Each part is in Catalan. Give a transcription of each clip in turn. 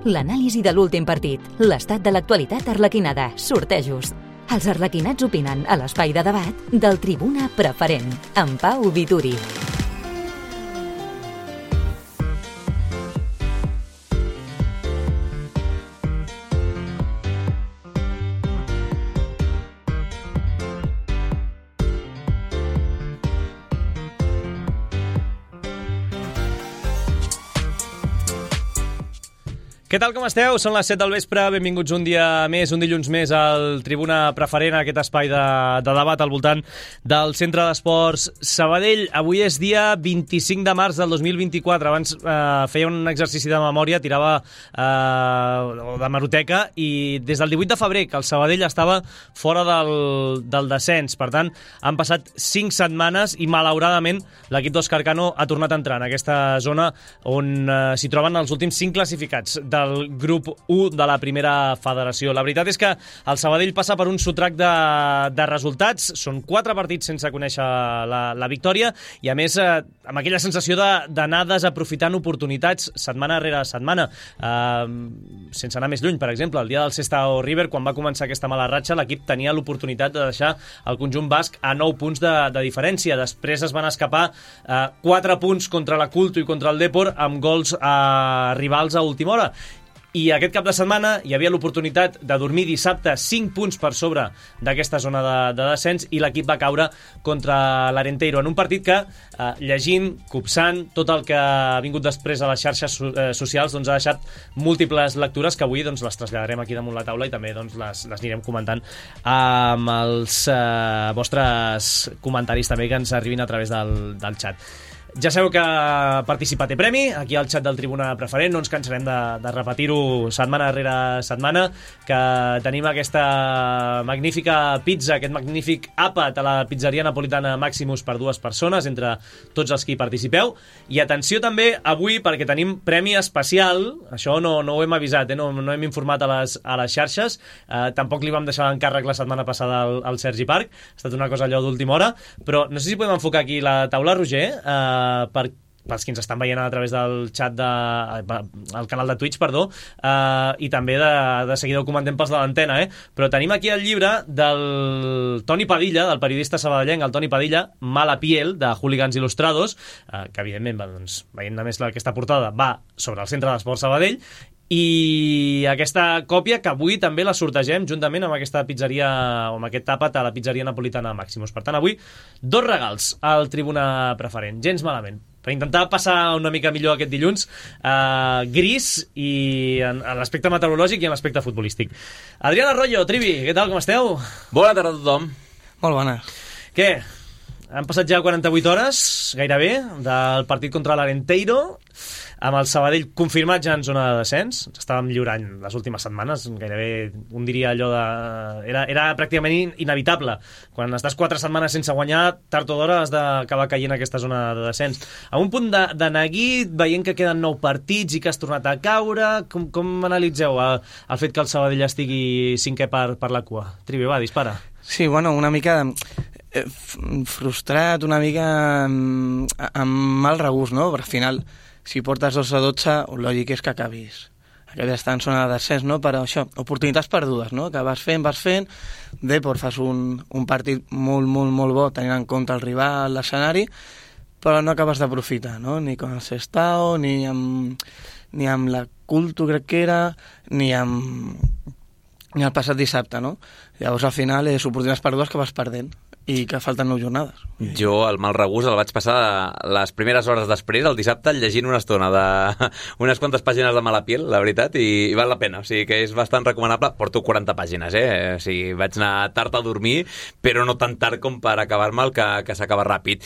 l'anàlisi de l'últim partit, l'estat de l'actualitat arlequinada, sortejos. Els arlequinats opinen a l'espai de debat del Tribuna Preferent, amb Pau Vituri. Què tal, com esteu? Són les 7 del vespre, benvinguts un dia més, un dilluns més al Tribuna Preferent, aquest espai de debat al voltant del Centre d'Esports Sabadell. Avui és dia 25 de març del 2024, abans feia un exercici de memòria, tirava de meroteca, i des del 18 de febrer que el Sabadell estava fora del descens. Per tant, han passat 5 setmanes i malauradament l'equip d'Òscar Cano ha tornat a entrar en aquesta zona on s'hi troben els últims 5 classificats del grup 1 de la primera federació. La veritat és que el Sabadell passa per un sotrac de resultats. Són 4 partits sense conèixer la victòria i, a més, amb aquella sensació d'anar desaprofitant oportunitats setmana rere setmana. Sense anar més lluny, per exemple, el dia del Sestao River, quan va començar aquesta mala ratxa, l'equip tenia l'oportunitat de deixar el conjunt basc a 9 punts de diferència. Després es van escapar 4 punts contra la Culto i contra el Depor amb gols rivals a última hora. I aquest cap de setmana hi havia l'oportunitat de dormir dissabte 5 punts per sobre d'aquesta zona de descens i l'equip va caure contra l'Arenteiro en un partit que, llegint, copsant, tot el que ha vingut després a les xarxes socials, doncs ha deixat múltiples lectures que avui les traslladarem aquí damunt la taula i també les anirem comentant amb els vostres comentaris també que ens arribin a través del xat. Ja sabeu que participar té premi, aquí al xat del Tribuna Preferent, no ens cansarem de repetir-ho setmana rere setmana, que tenim aquesta magnífica pizza, aquest magnífic àpat a la pizzeria napolitana Maximus per 2 persones, entre tots els que hi participeu. I atenció també avui, perquè tenim premi especial, això no ho hem avisat, no hem informat a les xarxes, tampoc li vam deixar l'encàrrec la setmana passada al Sergi Parc, ha estat una cosa allò d'última hora, però no sé si podem enfocar aquí la taula, Roger, pels que ens estan veient a través del xat al canal de Twitch, i també de seguida ho comentem pels de l'antena, però tenim aquí el llibre del Toni Padilla, del periodista sabadellenc, el Toni Padilla, Mala piel, de Hooligans Il·lustrados, que evidentment, veient només aquesta portada, va sobre el Centre d'Esports Sabadell, i aquesta còpia que avui també la sortegem juntament amb aquesta pizzeria, o amb aquest àpat a la pizzeria napolitana Maximus. Per tant, avui 2 regals al Tribuna Preferent, gens malament, per intentar passar una mica millor aquest dilluns gris i en l'aspecte meteorològic i en l'aspecte futbolístic. Adrián Arroyo, Trivi, què tal, com esteu? Bona tarda a tothom. Molt bones. Què? Han passat ja 48 hores, gairebé, del partit contra l'Arenteiro, amb el Sabadell confirmat ja en zona de descens. Ens estàvem lliurant les últimes setmanes, gairebé un diria allò de... Era pràcticament inevitable. Quan estàs 4 setmanes sense guanyar, tard o d'hora has d'acabar caient en aquesta zona de descens. A un punt de neguit, veient que queden 9 partits i que has tornat a caure, com analitzeu el fet que el Sabadell estigui 5è per la cua? Trivi, va, dispara. Sí, bueno, una mica frustrat, una mica amb mal regust, no? Perquè al final, si portes 2-12, el lògic és que acabis estar en zona de descens, no? Però això, oportunitats perdudes, no? Que vas fent, Depor fas un partit molt bo tenint en compte el rival, l'escenari, però no acabes d'aprofitar, no? Ni con el Sestao, ni amb la Culto, crec que era, ni el passat dissabte, no? Llavors, al final, és oportunitats perdudes que vas perdent i que falten 9 jornades. Jo el mal regust el vaig passar les primeres hores després, el dissabte, llegint una estona d'unes quantes pàgines de Mala piel, la veritat, i val la pena. O sigui que és bastant recomanable. Porto 40 pàgines, O sigui, vaig anar tard a dormir, però no tan tard com per acabar-me el que s'acaba ràpid.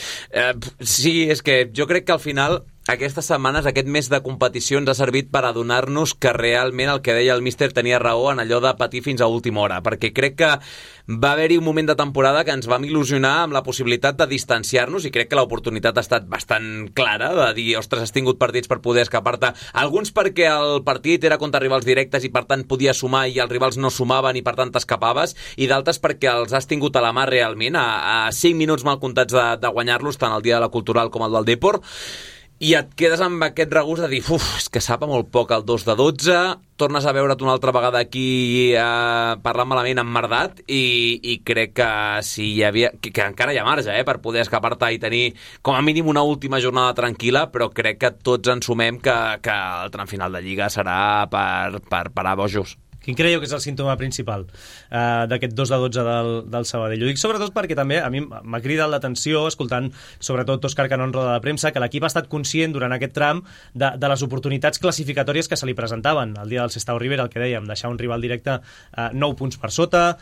Sí, és que jo crec que al final aquestes setmanes, aquest mes de competició ens ha servit per adonar-nos que realment el que deia el míster tenia raó en allò de patir fins a última hora, perquè crec que va haver-hi un moment de temporada que ens vam il·lusionar amb la possibilitat de distanciar-nos i crec que l'oportunitat ha estat bastant clara de dir, ostres, has tingut partits per poder escapar-te, alguns perquè el partit era contra rivals directes i per tant podies sumar i els rivals no sumaven i per tant t'escapaves, i d'altres perquè els has tingut a la mà realment, a 5 minuts mal comptats de guanyar-los, tant el dia de la Cultural com el del Depor. i et quedes amb aquest regust de dir, és que sap molt poc el 2 de 12, tornes a veure't una altra vegada aquí parlant malament emmerdat i crec que si hi havia, que encara hi ha marge per poder escapar-te i tenir com a mínim una última jornada tranquil·la, però crec que tots ens sumem que el tram final de Lliga serà per parar bojos. Quin creieu que és el símptoma principal d'aquest 2 de 12 del Sabadell? Ho dic sobretot perquè també a mi m'ha cridat l'atenció, escoltant sobretot Òscar Cano en roda de premsa, que l'equip ha estat conscient durant aquest tram de les oportunitats classificatòries que se li presentaven. El dia del Sestao River, el que dèiem, deixar un rival directe 9 punts per sota.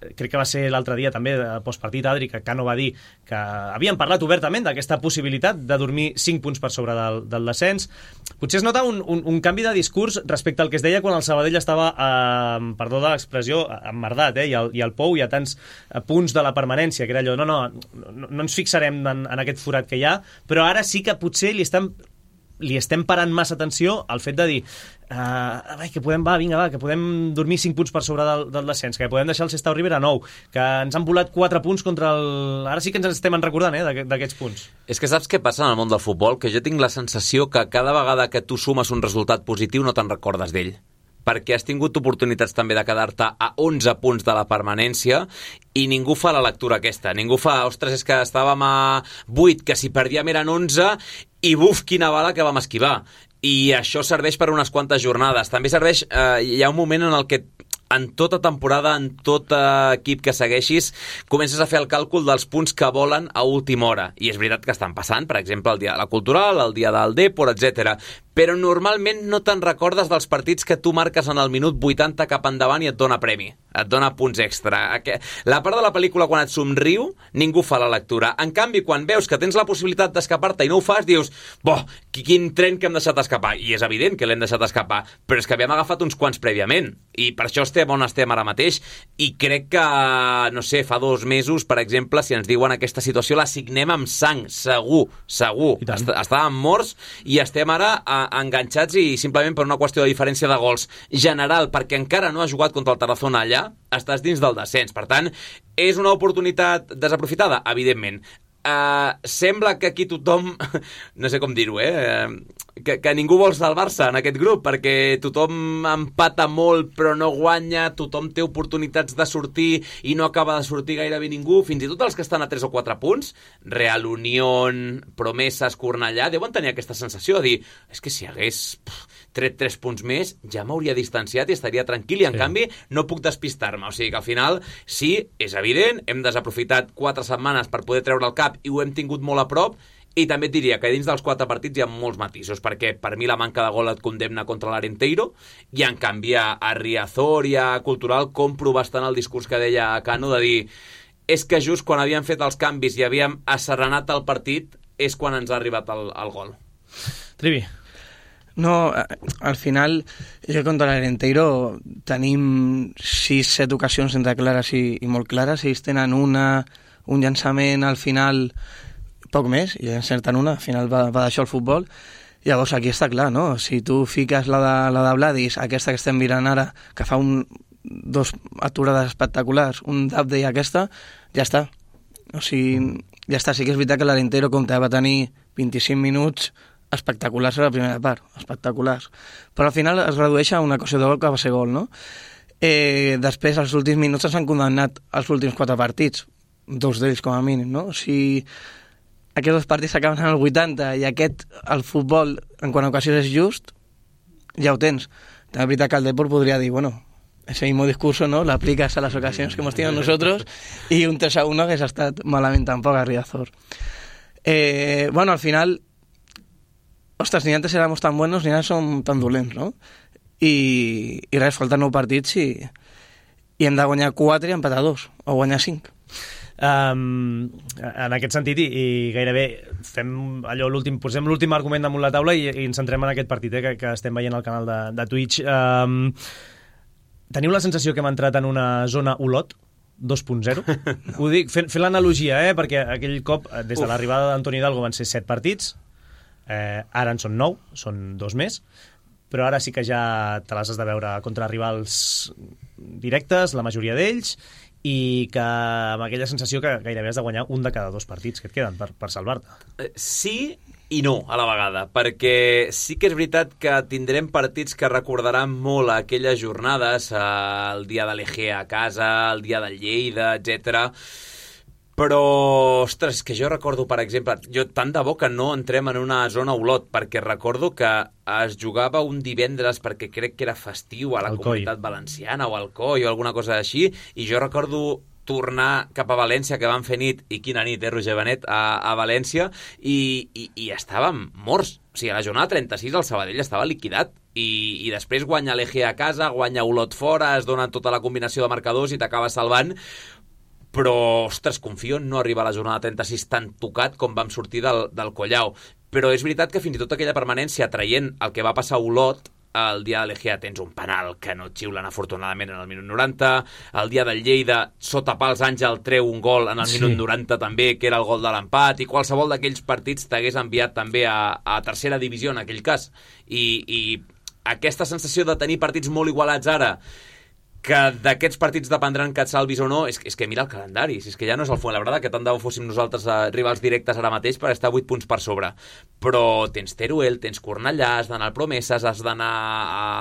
Crec que va ser l'altre dia també, postpartit, Adri, que Cano va dir que havien parlat obertament d'aquesta possibilitat de dormir 5 punts per sobre del descens. Potser es nota un canvi de discurs respecte al que es deia quan el Sabadell estava, perdó de l'expressió, emmerdat, i el Pou hi ha tants punts de la permanència, que era allò, no ens fixarem en aquest forat que hi ha, però ara sí que potser li estem parant massa atenció al fet de dir que podem dormir 5 punts per sobre del descens, que podem deixar el Sestao River a 9, que ens han volat 4 punts contra el... Ara sí que ens estem recordant d'aquests punts. És que saps què passa en el món del futbol? Que jo tinc la sensació que cada vegada que tu sumes un resultat positiu no te'n recordes d'ell, perquè has tingut oportunitats també de quedar-te a 11 punts de la permanència i ningú fa la lectura aquesta. Ningú fa, ostres, és que estàvem a 8, que si perdíem eren 11 i buf, quina bala que vam esquivar. I això serveix per unes quantes jornades. També serveix, hi ha un moment en el que en tota temporada, en tot equip que segueixis, comences a fer el càlcul dels punts que volen a última hora. I és veritat que estan passant, per exemple, el dia de la Cultural, el dia del Depor, etc. Però normalment no te'n recordes dels partits que tu marques en el minut 80 cap endavant i et dona premi, et dona punts extra. La part de la pel·lícula quan et somriu, ningú fa la lectura. En canvi, quan veus que tens la possibilitat d'escapar-te i no ho fas, dius, quin tren que hem deixat escapar. I és evident que l'hem deixat escapar, però és que havíem agafat uns quants prèviament. I per això estem on estem ara mateix. I crec que, no sé, fa 2 mesos, per exemple, si ens diuen aquesta situació, la signem amb sang, segur. Estàvem morts i estem ara enganxats i simplement per una qüestió de diferència de gols general, perquè encara no ha jugat contra el Tarazona allà, estàs dins del descens. Per tant, és una oportunitat desaprofitada? Evidentment. Sembla que aquí tothom, no sé com dir-ho, que ningú vol salvar-se en aquest grup, perquè tothom empata molt però no guanya, tothom té oportunitats de sortir i no acaba de sortir gairebé ningú, fins i tot els que estan a 3 o 4 punts, Real Unión, Promeses, Cornellà, deuen tenir aquesta sensació de dir, és que si hagués tret 3 punts més, ja m'hauria distanciat i estaria tranquil, i en canvi no puc despistar-me. O sigui que al final, sí, és evident, hem desaprofitat 4 setmanes per poder treure el cap i ho hem tingut molt a prop, i també et diria que dins dels 4 partits hi ha molts matisos, perquè per mi la manca de gol et condemna contra l'Arenteiro, i en canvi a Riazor i a Cultural compro bastant el discurs que deia Cano de dir, és que just quan havíem fet els canvis i havíem asserenat el partit és quan ens ha arribat el gol. Trivi. No, al final, jo contra l'Arenteiro tenim 6-7 ocasions entre clares i molt clares. Ells tenen un llançament al final, poc més, i encerten una, al final va d'això el futbol. Llavors aquí està clar, no? Si tu fiques la de Vladis, aquesta que estem mirant ara, que fa 2 aturades espectaculars, un d'Abde i aquesta, ja està. O sigui, ja està. Sí que és veritat que l'Arenteiro va tenir 25 minuts espectaculars a la primera part, espectaculars. Però al final es redueix a una cosa de gol que va ser gol, no? Després, als últims minuts ens han condemnat els últims 4 partits, 2 d'ells com a mínim, no? Si aquests 2 partits s'acaben en el 80 i el futbol, en quant a ocasions és just, ja ho tens. També és veritat que el Depor podria dir, bueno, ese mismo discurso, ¿no? Lo aplicas a las ocasiones que hemos tenido nosotros y un 3-1 que s'ha estat malament tampoc a Riazor. Bueno, al final, ostres, ni antes éramos tan buenos ni ara som tan dolents, no? I res, falten 9 partits i hem de guanyar 4 i empatar 2, o guanyar 5. En aquest sentit, i gairebé fem allò posem l'últim argument damunt la taula i ens centrem en aquest partit que estem veient al canal de Twitch. Teniu la sensació que hem entrat en una zona Olot 2.0? Ho dic fent l'analogia, perquè aquell cop, des de l'arribada d'Antoni Hidalgo van ser 7 partits, ara en són 9, són 2 més, però ara sí que ja te les has de veure contra rivals directes, la majoria d'ells, i que amb aquella sensació que gairebé has de guanyar un de cada 2 partits que et queden per salvar-te. Sí i no, a la vegada, perquè sí que és veritat que tindrem partits que recordaran molt aquelles jornades, el dia de l'EG a casa, el dia del Lleida, etc. Però, ostres, que jo recordo, per exemple, tant de bo que no entrem en una zona Olot, perquè recordo que es jugava un divendres perquè crec que era festiu a la Comunitat Valenciana o al COI o alguna cosa així, i jo recordo tornar cap a València, que van fer nit, i quina nit, Roger Benet, a València, i estàvem morts. O sigui, a la jornada 36 el Sabadell estava liquidat, i després guanya l'EG a casa, guanya Olot fora, es dona tota la combinació de marcadors i t'acaba salvant. Però, ostres, confio en no arribar a la jornada 36 tan tocat com vam sortir del Collau. Però és veritat que fins i tot aquella permanència, traient el que va passar a Olot, el dia de l'Egea tens un penal que no et xiulen afortunadament en el minut 90, el dia del Lleida, sota pals Àngel treu un gol en el minut 90 també, que era el gol de l'empat, i qualsevol d'aquells partits t'hagués enviat també a tercera divisió en aquell cas. I aquesta sensació de tenir partits molt igualats ara, que d'aquests partits dependran que et salvis o no, és que mira el calendari, és que ja no és el Fuenlabrada, que tant de bo fóssim nosaltres rivals directes ara mateix per estar 8 punts per sobre, però tens Teruel, tens Cornellà, has d'anar al Promeses, has d'anar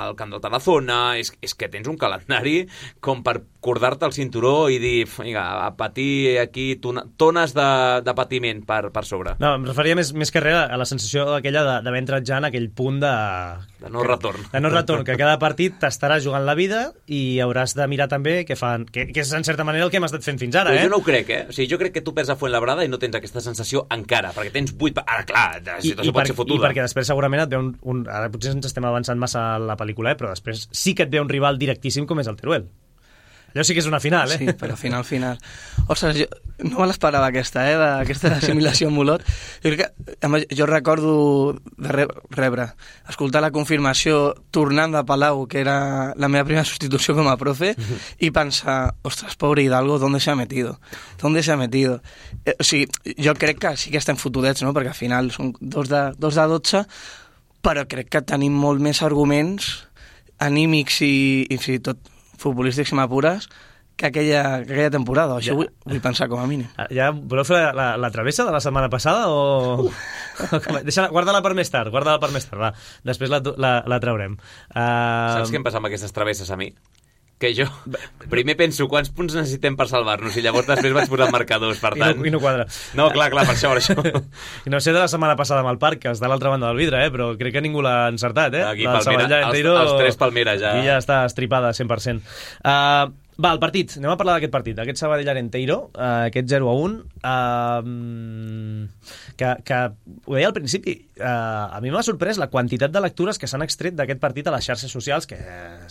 al Camp del Tarazona, és que tens un calendari com per cordar-te el cinturó i dir, vinga, a patir aquí tones de patiment per sobre. No, em referia més que res a la sensació aquella d'haver entrat ja en aquell punt de no retorn. De no retorn, que cada partit t'estarà jugant la vida i hauràs de mirar també què fan, que és en certa manera el que hem estat fent fins ara. Però jo no ho crec, O sigui, jo crec que tu perds a Fuenlabrada i no tens aquesta sensació encara, perquè tens 8... Ara, clar, la situació pot ser fotuda. I perquè després segurament et ve ara potser ens estem avançant massa a la pel·lícula, però després sí que et ve un rival directíssim com és el Teruel. Allò sí que és una final, Sí, però final. Ostres, jo no me l'esperava aquesta, d'aquesta assimilació amb Olot. Jo recordo de escoltar la confirmació tornant de Palau, que era la meva primera substitució com a profe, i pensar, ostres, pobre Hidalgo, ¿dónde se ha metido? O sigui, jo crec que sí que estem fotudets, no? Perquè al final són 2 de 12, però crec que tenim molt més arguments anímics i fins i tot futbolístics i m'apures que aquella temporada. Això vull pensar com a mínim. Ja voleu fer la travessa de la setmana passada o... Guarda-la per més tard, va. Després la traurem. Saps què em passa amb aquestes travesses a mi? Que jo primer penso quants punts necessitem per salvar-nos i llavors després vaig posar marcadors, per tant... I no quadra. No, clar, per això. I no sé de la setmana passada amb el Parc, que està a l'altra banda del vidre, però crec que ningú l'ha encertat, Aquí, Palmera, els 3 Palmera, ja. I ja està estripada 100%. Va, el partit. Anem a parlar d'aquest partit, d'aquest Sabadell-Arenteiro, aquest 0-1, que ho deia al principi, a mi m'ha sorprès la quantitat de lectures que s'han extret d'aquest partit a les xarxes socials, que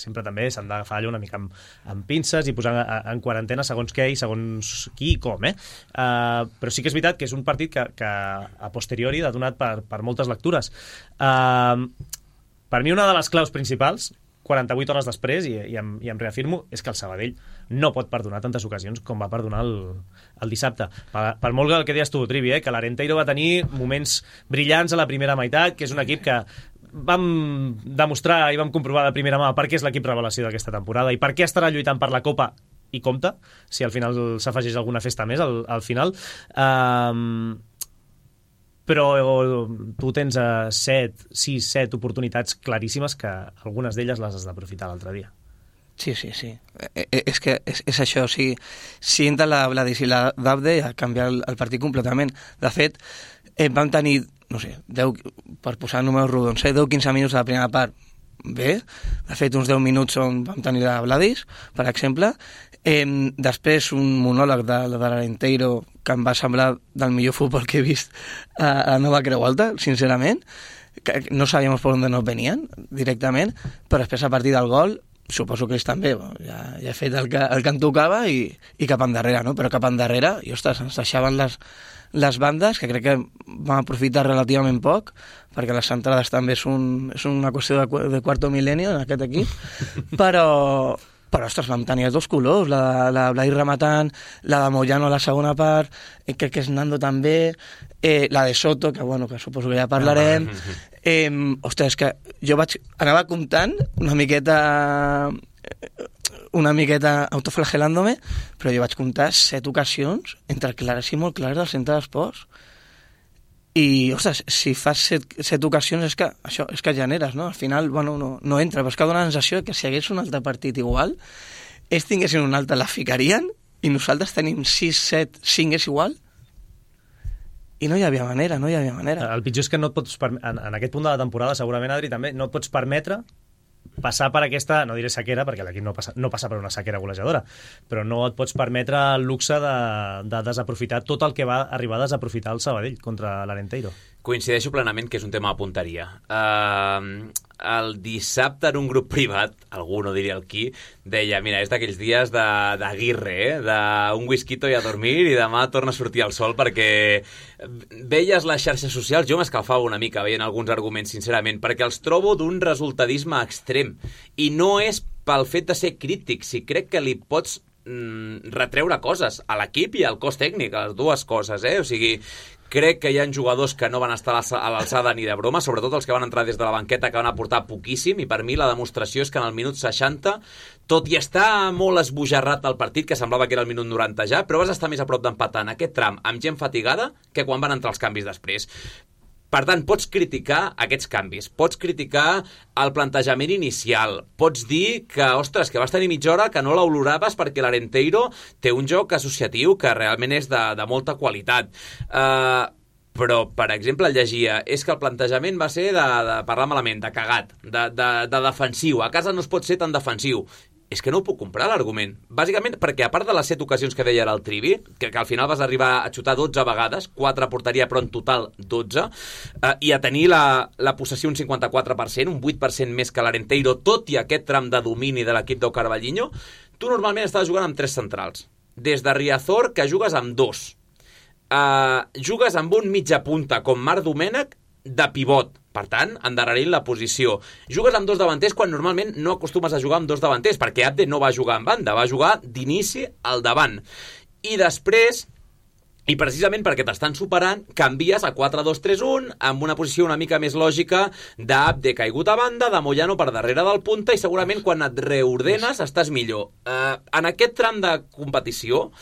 sempre també s'han d'agafar allò una mica amb pinces i posar en quarantena segons què i segons qui i com, però sí que és veritat que és un partit que a posteriori ha donat per moltes lectures. Per mi una de les claus principals, 48 hores després, i em reafirmo, és que el Sabadell no pot perdonar tantes ocasions com va perdonar el dissabte. Per molt el que deies tu, Trivi, que l'Arenteiro va tenir moments brillants a la primera meitat, que és un equip que vam demostrar i vam comprovar de primera mà per què és l'equip revelació d'aquesta temporada i per què estarà lluitant per la Copa, i compte, si al final s'afegeix alguna festa més al final. Però tu tens 6-7 oportunitats claríssimes que algunes d'elles les has d'aprofitar l'altre dia. Sí. És que és això, o sigui, si entra la Vladis i la Davde a canviar el partit completament. De fet, vam tenir, no sé, 10, per posar números rodons, 10-15 minuts a la primera part, bé, de fet uns 10 minuts on vam tenir la Vladis, per exemple, després un monòleg de l'Arenteiro que em va semblar del millor futbol que he vist a Nova Creu Alta, sincerament, que no sabíem per on nos venien directament, però després a partir del gol suposo que ells també, ja he fet el que em tocava i cap endarrere, no? Però cap endarrere, i ostres, ens deixaven les bandes, que crec que vam aprofitar relativament poc, perquè les centrades també és una qüestió de quarto milenio en aquest equip, però ostres, vam tenir els 2 colors, la de Blai rematant, la de Moyano a la segona part, crec que és Nando també, la de Soto, que suposo que ja parlarem. Ostres, que jo anava comptant una miqueta una miqueta autoflagelant-me, però jo vaig comptar 7 ocasions entre clares i molt clares del centre d'esports. I, ostres, si fas 7 ocasions és que generes, no? Al final, bueno, no entra, però és que dona la sensació que si hi hagués un altre partit igual, ells tinguessin un altre, la ficarien, i nosaltres tenim 6, 7, 5 és igual, i no hi havia manera. El pitjor és que no et pots, en aquest punt de la temporada, segurament, Adri, també, no et pots permetre passar per aquesta, no diré sequera, perquè l'equip no passa per una sequera golejadora, però no et pots permetre el luxe de desaprofitar tot el que va arribar a desaprofitar el Sabadell contra l'Arenteiro. Coincideixo plenament que és un tema de punteria. El dissabte en un grup privat, algú no diria el qui, deia, mira, és d'aquells dies d'Aguirre, d'un whisquito i a dormir i demà torna a sortir el sol, perquè veies les xarxes socials, jo m'escalfava una mica veient alguns arguments, sincerament, perquè els trobo d'un resultadisme extrem. I no és pel fet de ser crític, si crec que li pots retreure coses a l'equip i al cos tècnic, a les dues coses, O sigui, crec que hi ha jugadors que no van estar a l'alçada ni de broma, sobretot els que van entrar des de la banqueta, que van aportar poquíssim, i per mi la demostració és que en el minut 60, tot i estar molt esbojarrat el partit, que semblava que era el minut 90 ja, però vas estar més a prop d'empatar en aquest tram amb gent fatigada que quan van entrar els canvis després. Per tant, pots criticar aquests canvis, pots criticar el plantejament inicial, pots dir que, ostres, que vas tenir mitja hora que no l'oloraves perquè l'Arenteiro té un joc associatiu que realment és de molta qualitat. Però, per exemple, llegia, és que el plantejament va ser de parlar malament, de cagat, de defensiu. A casa no es pot ser tan defensiu. És que no ho puc comprar, l'argument. Bàsicament perquè, a part de les 7 ocasions que deia ara el Trivi, que al final vas arribar a xutar 12 vegades, 4 a porteria, però en total 12, i a tenir la possessió un 54%, un 8% més que l'Arenteiro, tot i aquest tram de domini de l'equip del Carballiño, tu normalment estaves jugant amb 3 centrals. Des de Riazor, que jugues amb 2. Jugues amb un mitja punta, com Marc Domènech, de pivot. Per tant, endarrerint la posició. Jugues amb 2 davanters quan normalment no acostumes a jugar amb 2 davanters, perquè Abde no va jugar en banda, va jugar d'inici al davant. I després, i precisament perquè t'estan superant, canvies a 4-2-3-1 amb una posició una mica més lògica d'Abde caigut a banda, de Moyano per darrere del punta, i segurament quan et reordenes estàs millor. En aquest tram de competició,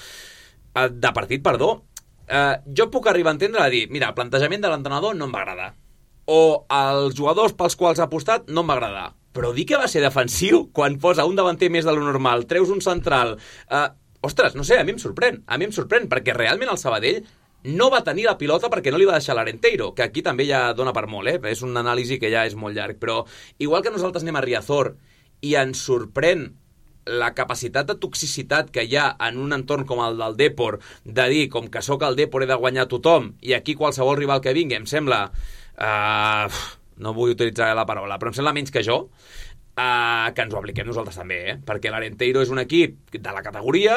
de partit, perdó, jo puc arribar a entendre a dir, mira, el plantejament de l'entrenador no em va agradar, o els jugadors pels quals ha apostat no em va agradar, però dir que va ser defensiu quan posa un davanter més de lo normal, treus un central, ostres, no sé, a mi em sorprèn, perquè realment el Sabadell no va tenir la pilota perquè no li va deixar l'Arenteiro, que aquí també ja dona per molt, és una anàlisi que ja és molt llarg, però igual que nosaltres anem a Riazor i ens sorprèn la capacitat de toxicitat que hi ha en un entorn com el del Depor, de dir, com que sóc el Depor he de guanyar tothom, i aquí qualsevol rival que vingui em sembla, no vull utilitzar la paraula, però em sembla menys que jo, que ens ho apliquem nosaltres també, perquè l'Arenteiro és un equip de la categoria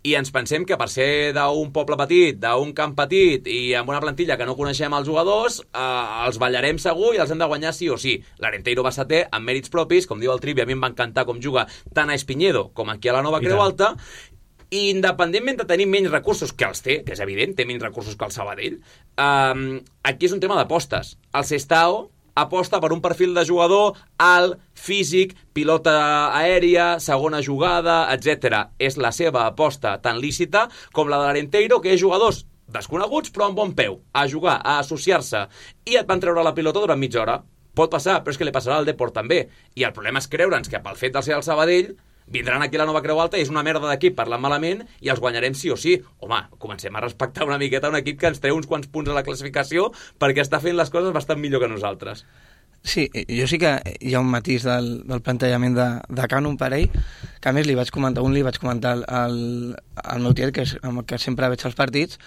i ens pensem que per ser d'un poble petit, d'un camp petit i amb una plantilla que no coneixem els jugadors, els ballarem segur i els hem de guanyar sí o sí. L'Arenteiro va setè amb mèrits propis, com diu el Trivi, a mi em va encantar com juga tant a Espiñedo com aquí a la Nova Creu Alta, i independentment de tenir menys recursos, que els té, que és evident, té menys recursos que el Sabadell, aquí és un tema d'apostes. El Sestao aposta per un perfil de jugador alt, físic, pilota aèria, segona jugada, etc. És la seva aposta tan lícita com la de l'Arenteiro, que és jugadors desconeguts però amb bon peu, a jugar, a associar-se, i et van treure la pilota durant mitja hora. Pot passar, però és que li passarà al Depor també. I el problema és creure'ns que pel fet de ser el Sabadell vindran aquí a la Nova Creu Alta i és una merda d'equip parlant malament i els guanyarem sí o sí. Home, comencem a respectar una miqueta un equip que ens treu uns quants punts a la classificació perquè està fent les coses bastant millor que nosaltres. Sí, jo sí que hi ha un matís del plantejament de Cano, un parell, que a més li vaig comentar al meu tiet, que és amb el que sempre veig els partits,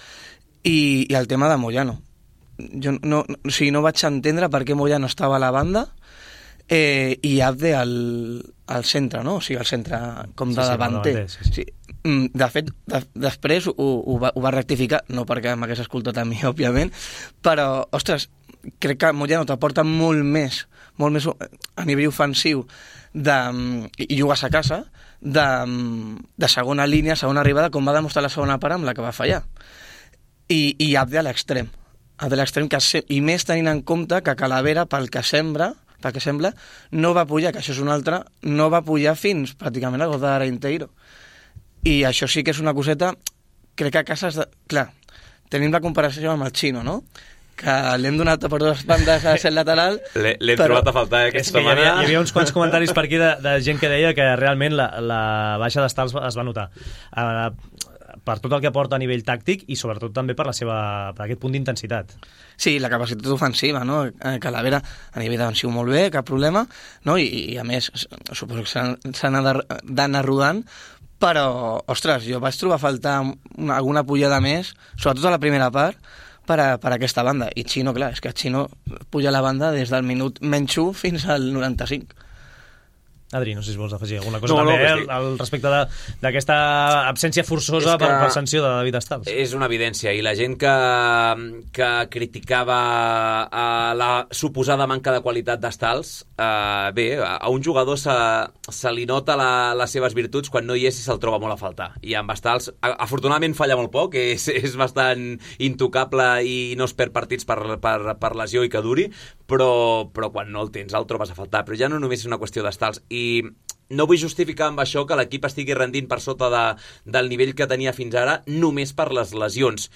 i el tema de Moyano. Jo no vaig entendre per què Moyano estava a la banda i Abde al centre, no? O sigui, al centre com de davanter. Sí. De fet, després ho va rectificar, no perquè m'hagués escoltat a mi, òbviament, però, ostres, crec que Moyano t'aporta molt més a nivell ofensiu i jugues a casa de segona línia, segona arribada, com va demostrar la segona part amb la que va fallar. I Abde a l'extrem, i més tenint en compte que Calavera, pel que sembra, pel que sembla, no va pujar, que això és una altra, no va pujar fins pràcticament al gol d'Arenteiro. I això sí que és una coseta, crec que a casa... Clar, tenim la comparació amb el Xino, no? Que l'hem donat per dues bandes a ser lateral. L'hem trobat a faltar aquesta setmana. Hi havia uns quants comentaris per aquí de gent que deia que realment la baixa d'estals es va notar. Per tot el que aporta a nivell tàctic i sobretot també per aquest punt d'intensitat. Sí, la capacitat ofensiva, no? Calavera a nivell defensiu molt bé, cap problema, no? I a més, suposo que s'han d'anar rodant, però, ostres, jo vaig trobar a faltar alguna pujada més, sobretot a la primera part, per aquesta banda. I Xino, clar, és que Xino puja a la banda des del minut menys 1 fins al 95. Adri, no sé si vols afegir alguna cosa també al respecte d'aquesta absència forçosa per sanció de David Estals. És una evidència, i la gent que criticava la suposada manca de qualitat d'Estals, bé, a un jugador se li nota les seves virtuts quan no hi és i se'l troba molt a faltar. I amb Estals, afortunadament falla molt poc, és bastant intocable i no es perd partits per lesió i que duri, però quan no el tens el trobes a faltar. Però ja no només és una qüestió d'Estals, i no vull justificar amb això que l'equip estigui rendint per sota del nivell que tenia fins ara només per les lesions,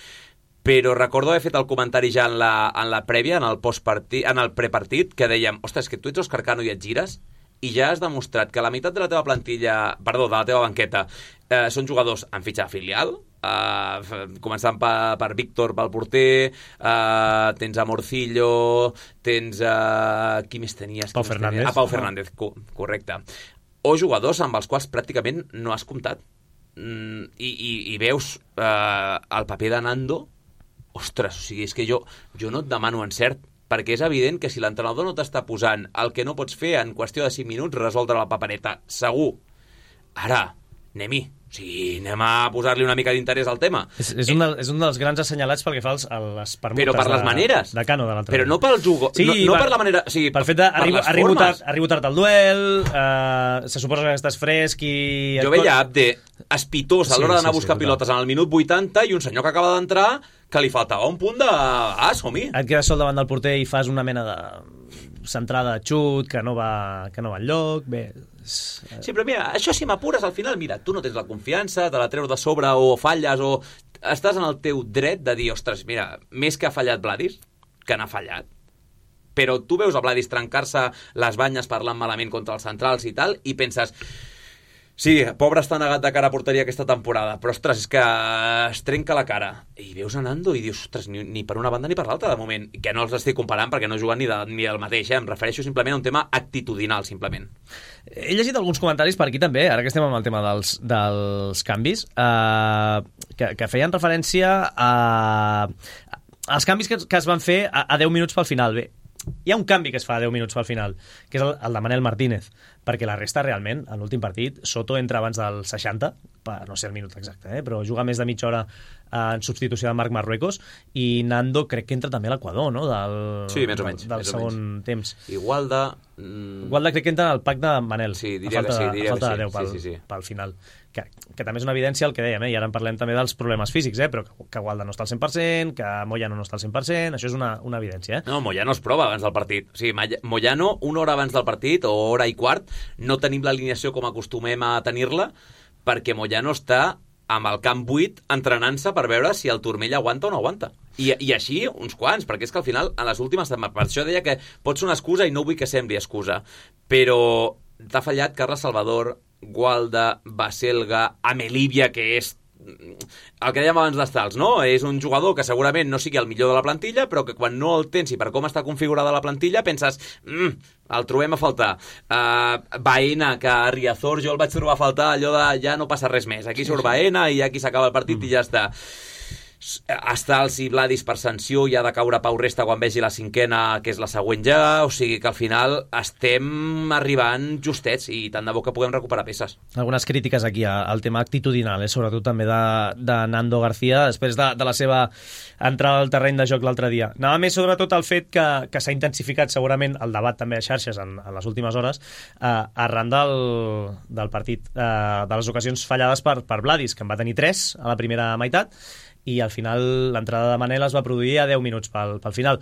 però recordo haver fet el comentari ja en la prèvia, en el prepartit, que dèiem, ostres, que tu ets Òscar Cano i et gires i ja has demostrat que la meitat de la teva de la teva banqueta són jugadors amb fitxa filial, començant per Víctor, pel porter, tens a Morcillo, tens qui més tenies? Pau Fernández. Pau Fernández, correcte. O jugadors amb els quals pràcticament no has comptat. I veus el paper de Nando, ostres, o sigui, és que jo no et demano encert, perquè és evident que si l'entrenador no t'està posant el que no pots fer en qüestió de 5 minuts, resoldre la papereta, segur. Ara, anem-hi. O sigui, anem a posar-li una mica d'interès al tema. És un dels grans assenyalats pel que fa a les permutes. Però per les maneres. De Cano, de l'entrenador. Però no pel jugo, sí, no per la manera... O sigui, per fet d'arribo tard al duel, se suposa que estàs fresc i... Jo veia Abde espitós a l'hora d'anar a buscar pilotes en el minut 80 i un senyor que acaba d'entrar que li faltava un punt de... som-hi. Et quedes sol davant del porter i fas una mena de centrada de xut que no va enlloc, bé... Sí, però mira, això si m'apures al final, mira, tu no tens la confiança, te la treus de sobre o falles o estàs en el teu dret de dir, ostres, mira, més que ha fallat Vladis, que n'ha fallat, però tu veus a Vladis trencar-se les banyes parlant malament contra els centrals i tal, i penses, sí, pobre està negat de cara a porteria aquesta temporada, però ostres, és que es trenca la cara. I veus a Nando i dius, ostres, ni per una banda ni per l'altra de moment, que no els estic comparant perquè no juguen ni del mateix, em refereixo simplement a un tema actitudinal, simplement. He llegit alguns comentaris per aquí també, ara que estem amb el tema dels canvis, que feien referència als canvis que es van fer a 10 minuts pel final. Bé, hi ha un canvi que es fa a 10 minuts pel final, que és el de Manel Martínez, perquè la resta realment, en l'últim partit, Soto entra abans del 60, no sé el minut exacte, però juga més de mitja hora en substitució de Marc Marruecos, i Nando crec que entra també a l'Equador, no? Sí, més o menys. Del segon temps. I Gualda crec que entra al pack de Manel. Sí, diria que sí. A falta de 10 pel final. Que també és una evidència el que dèiem, i ara en parlem també dels problemes físics, però que Gualda no està al 100%, que Moyano no està al 100%, això és una evidència. No, Moyano es prova abans del partit. O sigui, Moyano, una hora abans del partit, o hora i quart, no tenim l'alineació com acostumem a tenir-la, perquè Moyano està amb el camp buit entrenant-se per veure si el turmell aguanta o no aguanta. I així uns quants, perquè és que al final, en les últimes... Per això deia que pot ser una excusa i no vull que sembli excusa, però t'ha fallat Carles Salvador, Gualda, Baselga, Amelívia, que és el que dèiem abans d'Estals, no? És un jugador que segurament no sigui el millor de la plantilla, però que quan no el tens i per com està configurada la plantilla penses, el trobem a faltar. Baena, que a Riazor jo el vaig trobar a faltar, allò de ja no passa res més, aquí surt Baena i aquí s'acaba el partit i ja està. Estals i Vladis per sanció, i ha de caure Pau Resta quan vegi la cinquena, que és la següent ja, o sigui que al final estem arribant justets i tant de bo que puguem recuperar peces. Algunes crítiques aquí al tema actitudinal, sobretot també de Nando García després de la seva entrada al terreny de joc l'altre dia. Anava més sobretot el fet que s'ha intensificat segurament el debat també a xarxes en les últimes hores arran del partit, de les ocasions fallades per Vladis, que en va tenir 3 a la primera meitat, i al final l'entrada de Manel es va produir a 10 minuts pel final.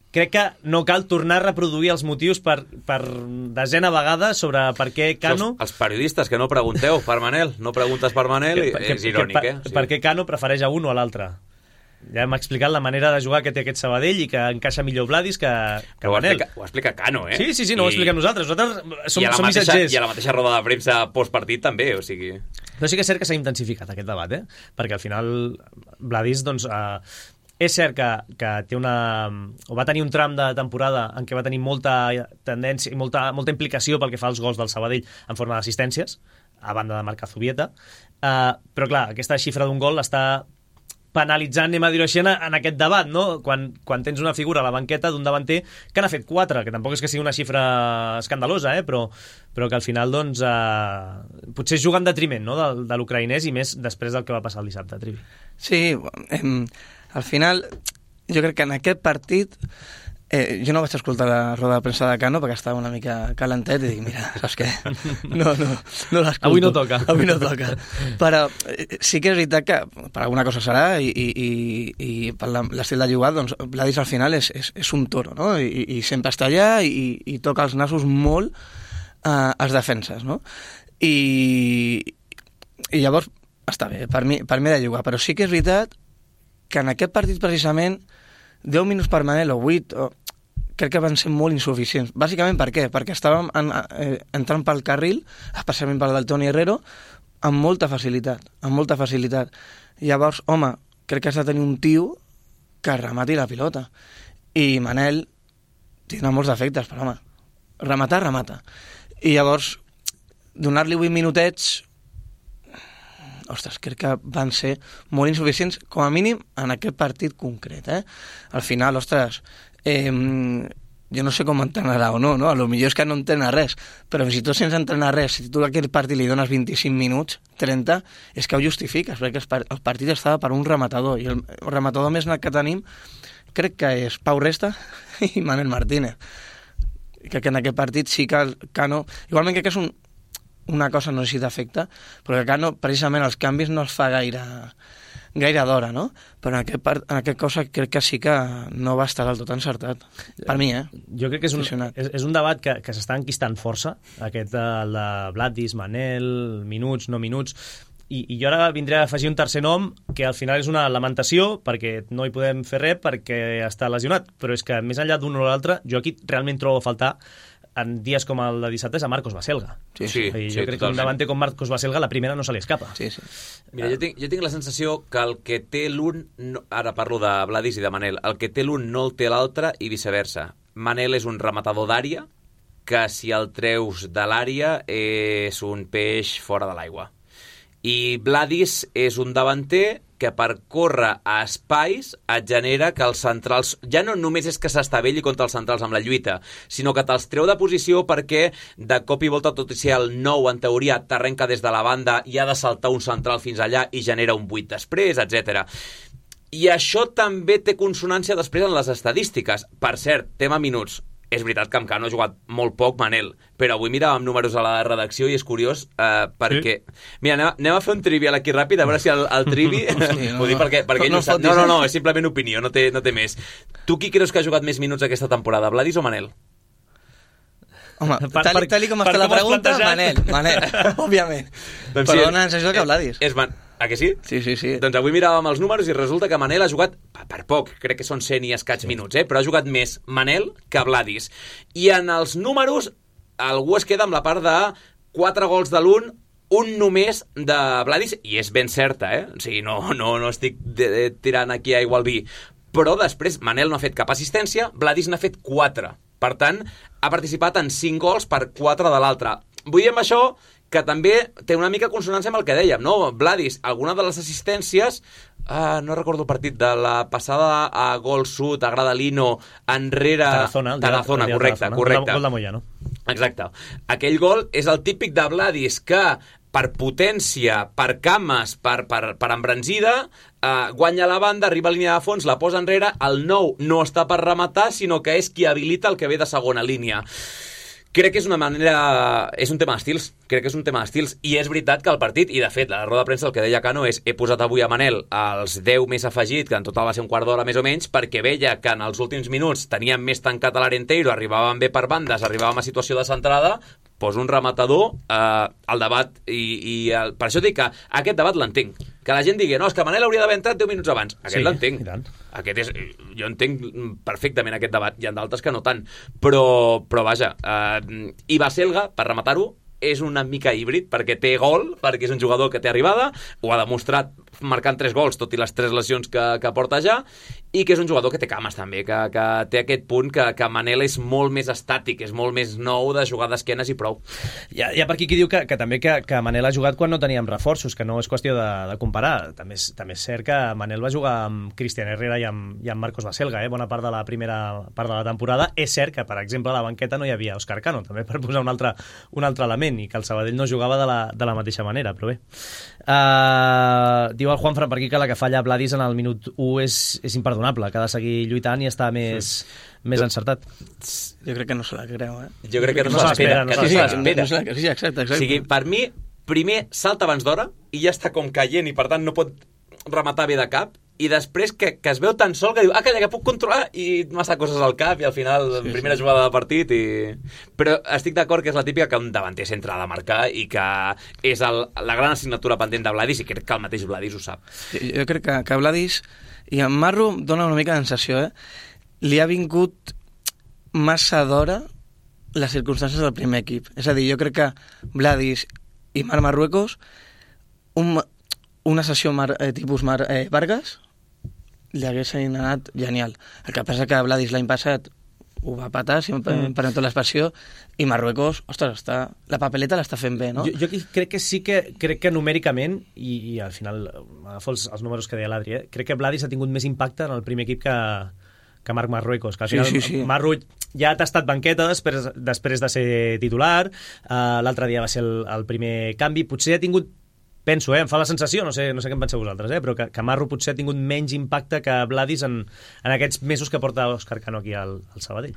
crec que no cal tornar a reproduir els motius per desena vegada sobre per què Cano... Els periodistes que no pregunteu per Manel, no preguntes per Manel, és irònic, Per què Cano prefereix a un o a l'altre? Ja hem explicat la manera de jugar que té aquest Sabadell i que encaixa millor Vladis que Manel. Ho explica Cano, eh? Sí, no ho expliquem nosaltres. Nosaltres som missatgers. I a la mateixa roda de premsa postpartit també, o sigui... Però sí que és cert que s'ha intensificat aquest debat, perquè al final Vladis, doncs... és cert que té va tenir un tram de temporada en què va tenir molta tendència i molta implicació pel que fa als gols del Sabadell en forma d'assistències, a banda de marcar Zubieta, però clar, aquesta xifra d'un gol està penalitzant, anem a dir-ho així, en aquest debat, no? Quan tens una figura a la banqueta d'un davanter que n'ha fet 4, que tampoc és que sigui una xifra escandalosa, però que al final doncs, potser juga en detriment, no? de l'ucraïnès, i més després del que va passar el dissabte, Trivi. Sí, al final jo crec que en aquest partit jo no vaig escoltar la roda de premsa de Cano perquè estava una mica calentet i dic, mira, saps què? No l'escolto. Avui no toca. Però sí que és veritat que per alguna cosa serà i per l'estil de jugar, doncs Vladis al final és un toro, no? I sempre està allà i toca els nassos molt als defenses, no? I llavors està bé, per mi de jugar, però sí que és veritat que en aquest partit precisament 10 minuts per Manel o 8 crec que van ser molt insuficients. Bàsicament per què? Perquè estàvem entrant pel carril, especialment pel del Toni Herrero, amb molta facilitat. Llavors, home, crec que has de tenir un tio que remati la pilota. I Manel tindrà molts defectes, però home, remata. I llavors, donar-li 8 minutets... Ostres, crec que van ser molt insuficients, com a mínim en aquest partit concret. Al final, ostres, jo no sé com entrenarà o no? A lo millor és que no entrena res, però si tu sense entrenar res, si tu a aquest partit li dones 25 minuts, 30, és que ho justifiques, perquè el partit estava per un rematador, i el rematador més net que tenim crec que és Pau Resta i Manel Martínez. Crec que en aquest partit sí que el Cano... Igualment crec que és una cosa, no sé si d'efecte, però que Cano, precisament, els canvis no els fa gaire d'hora, no? Però en aquest cosa crec que sí que no va estar del tot encertat. Per mi, Jo crec que és un debat que s'està enquistant força, aquest el de Vladis, Manel, minuts, no minuts, i jo ara vindré a afegir un tercer nom que al final és una lamentació, perquè no hi podem fer res perquè està lesionat, però és que més enllà d'un o l'altre, jo aquí realment trobo a faltar en dies com el de dissabte és a Marcos Baselga. Sí, jo crec que un davanter com Marcos Baselga la primera no se li escapa. Sí. Mira, jo tinc la sensació que el que té l'un, ara parlo de Vladis i de Manel, el que té l'un no el té l'altre i viceversa. Manel és un rematador d'àrea que si el treus de l'àrea és un peix fora de l'aigua. I Vladis és un davanter que per córrer a espais et genera que els centrals... Ja no només és que s'estavelli contra els centrals amb la lluita, sinó que te'ls treu de posició perquè de cop i volta, tot i ser el 9, en teoria, t'arrenca des de la banda i ha de saltar un central fins allà i genera un 8 després, etc. I això també té consonància després en les estadístiques. Per cert, tema minuts. És veritat que amb Cano ha jugat molt poc, Manel, però avui miràvem números a la redacció i és curiós perquè... Mira, anem a fer un trivial aquí ràpid, a veure si el trivi... Ho dic perquè ell ho sap. No, és simplement opinió, no té més. Tu qui creus que ha jugat més minuts aquesta temporada, Vladis o Manel? Home, tal com està la pregunta, Manel, òbviament. Doncs però dona la sensació que Vladis. A que sí? Sí. Doncs avui miràvem els números i resulta que Manel ha jugat, per poc, crec que són 100 i escaig minuts, però ha jugat més Manel que Vladis. I en els números, algú es queda amb la part de 4 gols de l'un, un només de Vladis, i és ben certa, O sigui, no estic tirant aquí aigua al vi. Però després Manel no ha fet cap assistència, Vladis n'ha fet 4. Per tant, ha participat en 5 gols per 4 de l'altre. Vull dir amb això que també té una mica consonància amb el que dèiem, no? Vladis, alguna de les assistències, no recordo el partit, de la passada a Gol Sud, a Gradalino, enrere... Tarazona, correcte. Gol de Moyano. Exacte. Aquell gol és el típic de Vladis que per potència, per cames, per embranzida, guanya la banda, arriba a línia de fons, la posa enrere, el 9 no està per rematar, sinó que és qui habilita el que ve de segona línia. Crec que és una manera... És un tema d'estils. Crec que és un tema d'estils. I és veritat que el partit, i de fet, la roda de premsa el que deia Cano és he posat avui a Manel els 10 més afegit, que en total va ser un quart d'hora més o menys, perquè veia que en els últims minuts teníem més tancat a l'Arenteiro, arribàvem bé per bandes, arribàvem a situació de centrada, posa un rematador al debat per això dic que aquest debat l'entenc, que la gent digui no, és que Manel hauria d'haver entrat 10 minuts abans, aquest l'entenc, jo entenc perfectament aquest debat, hi ha d'altres que no tant, però vaja, i Baselga, per rematar-ho, és una mica híbrid, perquè té gol, perquè és un jugador que té arribada, ho ha demostrat marcant 3 gols, tot i les 3 lesions que porta ja, i que és un jugador que té cames també, que té aquest punt que Manel és molt més estàtic, és molt més nou de jugar d'esquenes i prou. Hi ha per aquí qui diu que també que Manel ha jugat quan no teníem reforços, que no és qüestió de comparar. També és cert que Manel va jugar amb Cristian Herrera i amb Marcos Baselga, bona part de la primera part de la temporada. És cert que, per exemple, a la banqueta no hi havia Òscar Cano, també per posar un altre element, i que el Sabadell no jugava de la mateixa manera, però bé. Diu el Juanfran per aquí que la que falla Vladis en el minut 1 és imperdonable, que ha de seguir lluitant i estar més encertat. Jo crec que no se la creu, Jo crec que no se l'espera. Sí, exacte. O sigui, per mi, primer salta abans d'hora i ja està com caient i per tant no pot rematar bé de cap, i després que es veu tan sol que diu calla, que puc controlar, i massa coses al cap i al final, primera jugada de partit però estic d'acord que és la típica que un davanter centre ha de marcar i que és la gran assignatura pendent de Vladis, i crec que el mateix Vladis ho sap. Jo crec que Vladis, i en Marro dona una mica de sensació, li ha vingut massa d'hora les circumstàncies del primer equip. És a dir, jo crec que Vladis i Marc Marruecos, una sessió tipus Vargas, li haguessin anat genial. El que passa que Vladis l'any passat ho va patar, si em permeto l'expressió, i Marruecos, ostres, la papeleta l'està fent bé, no? Jo crec que sí que numèricament, i al final agafo els números que deia l'Adri, crec que Vladis ha tingut més impacte en el primer equip que Marc Marruecos, que al final sí. Marruec ja ha tastat banqueta després de ser titular, l'altre dia va ser el primer canvi, potser ha tingut, penso, em fa la sensació, no sé què en penseu vosaltres, però que Marro potser ha tingut menys impacte que Vladis en aquests mesos que porta Òscar Cano aquí al Sabadell.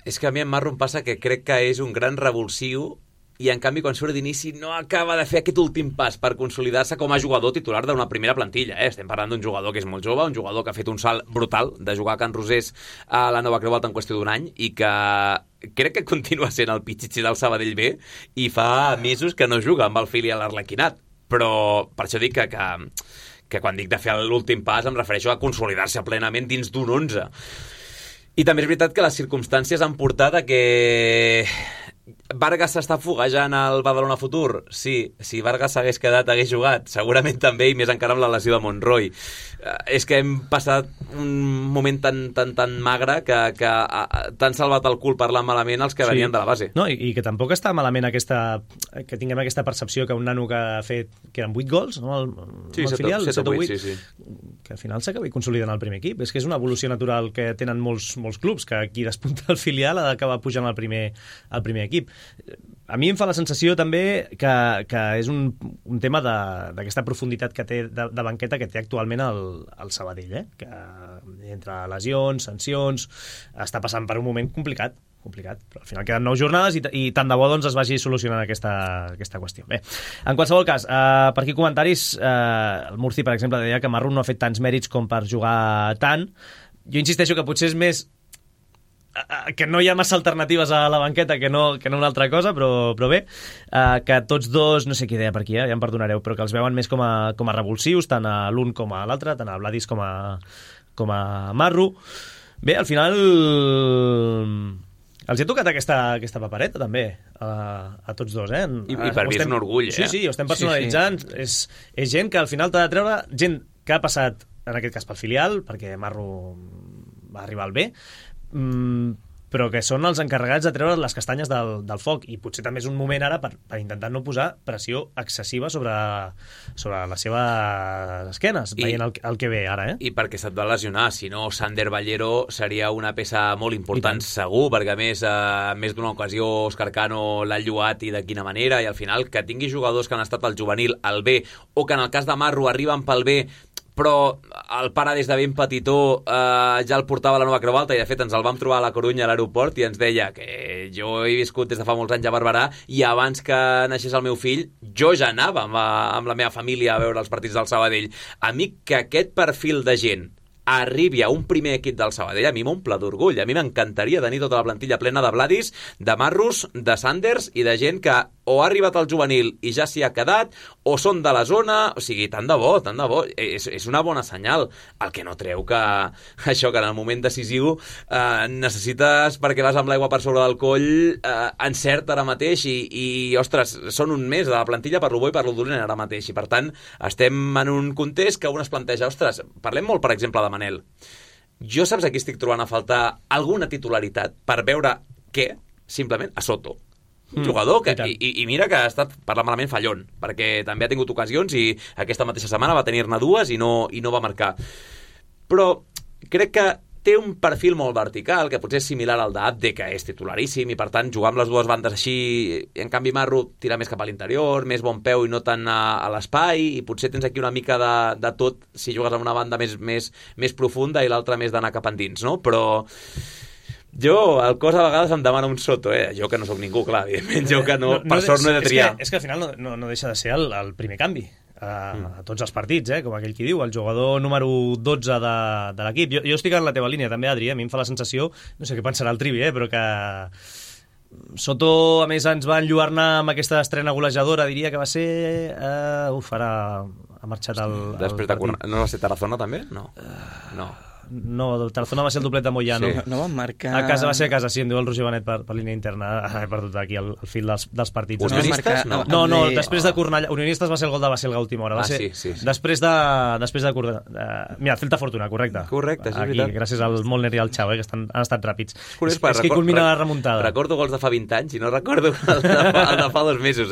És que a mi en Marro em passa que crec que és un gran revulsiu i en canvi quan surt d'inici no acaba de fer aquest últim pas per consolidar-se com a jugador titular d'una primera plantilla. Estem parlant d'un jugador que és molt jove, un jugador que ha fet un salt brutal de jugar a Can Rosés a la Nova Creu Alta en qüestió d'un any i que crec que continua sent el pitxitxi del Sabadell B i fa mesos que no juga amb el filial Arlequinat. Però per això dic que quan dic de fer l'últim pas em refereixo a consolidar-se plenament dins d'un 11. I també és veritat que les circumstàncies han portat a que Vargas s'està foguejant al Badalona Futur? Sí, si Vargas s'hagués quedat, hagués jugat. Segurament també, i més encara amb la lesió de Monroy. És que hem passat un moment tan magre que t'han salvat el cul parlant malament els que venien de la base. No, i que tampoc està malament que tinguem aquesta percepció que un nano que ha fet, que eren 8 gols, no? Sí, 7 o 8, sí. Que al final s'acabi consolidant el primer equip. És que és una evolució natural que tenen molts clubs, que qui despunta el filial ha d'acabar pujant al primer equip. A mi em fa la sensació també que és un tema d'aquesta profunditat que té de banqueta que té actualment el Sabadell, que entre lesions, sancions, està passant per un moment complicat, però al final queden 9 jornades i tant de bo doncs es vagi solucionant aquesta qüestió. Bé, en qualsevol cas, per aquí comentaris, el Murci, per exemple, deia que Marro no ha fet tants mèrits com per jugar tant. Jo insisteixo que potser és més que no hi ha massa alternatives a la banqueta que no una altra cosa, però bé, que tots dos, no sé qui deia per aquí, ja em perdonareu, però que els veuen més com a revulsius, tant a l'un com a l'altre, tant a Vladis com a Marro. Bé, al final els he tocat aquesta papereta també a tots dos, I per mi és un orgull, Sí, ho estem personalitzant. Sí. És gent que al final t'ha de treure, gent que ha passat en aquest cas pel filial, perquè Marro va arribar al B, però que són els encarregats de treure les castanyes del foc, i potser també és un moment ara per intentar no posar pressió excessiva sobre les seves esquenes, veient el que ve ara. I perquè se't va lesionar, si no Sander Ballero seria una peça molt important segur, perquè a més d'una ocasió Òscar Cano l'ha lluat, i de quina manera, i al final que tingui jugadors que han estat al juvenil, al B, o que en el cas de Marro arriben pel B però el pare des de ben petitó ja el portava a la Nova Creu Alta, i de fet ens el vam trobar a la Corunya a l'aeroport i ens deia que jo he viscut des de fa molts anys a Barberà i abans que naixés el meu fill, jo ja anava amb la meva família a veure els partits del Sabadell. A mi que aquest perfil de gent arribi a un primer equip del Sabadell, a mi m'omple d'orgull. A mi m'encantaria tenir tota la plantilla plena de Vladis, de Marrus, de Sanders i de gent que o ha arribat al juvenil i ja s'hi ha quedat, o són de la zona, o sigui, tant de bo, tant de bo. És una bona senyal. El que no treu que això, que en el moment decisiu necessites, perquè vas amb l'aigua per sobre del coll, encert ara mateix i, ostres, són un mes de la plantilla per lo bo i per lo dolent ara mateix. I, per tant, estem en un context que un es planteja, ostres, parlem molt, per exemple, de Manel. Jo saps aquí estic trobant a faltar alguna titularitat per veure què? Simplement a Soto. Un jugador que, i mira que ha estat, parlant malament, fallon, perquè també ha tingut ocasions i aquesta mateixa setmana va tenir-ne dues i no va marcar. Però crec que té un perfil molt vertical, que potser és similar al d'Abde, que és titularíssim, i per tant jugar amb les dues bandes així, i en canvi Marro tira més cap a l'interior, més bon peu i no tant a l'espai, i potser tens aquí una mica de tot si jugues amb una banda més profunda i l'altra més d'anar cap endins, no? Però jo, el cos a vegades em demana un Soto, jo que no sóc ningú, clar, evidentment, jo que no, per sort no he de triar. És que al final no deixa de ser el primer canvi a tots els partits, com aquell qui diu, el jugador número 12 de l'equip. Jo estic en la teva línia també, Adri, a mi em fa la sensació, no sé què pensarà el Trivi, però que Soto, a més, ens va enlluernar amb aquesta estrena golejadora, diria que va ser... ara ha marxat el Després de no va ser Tarazona, també? No. No, el Tarazona va ser el doblet de Moyano. Sí. No van marcar... Va ser a casa, sí, em diu el Roger Benet per línia interna. He perdut aquí el fil dels partits. Unionistes? No, després de Cornellà. Unionistes va ser el gol de Baselga a última hora. Sí. Després de mira, Celta Fortuna, correcte. Correcte, sí, aquí, veritat. Gràcies al Molner i al Xau, que han estat ràpids. És que culmina la remuntada. Recordo gols de fa 20 anys i no recordo el de fa 2 mesos,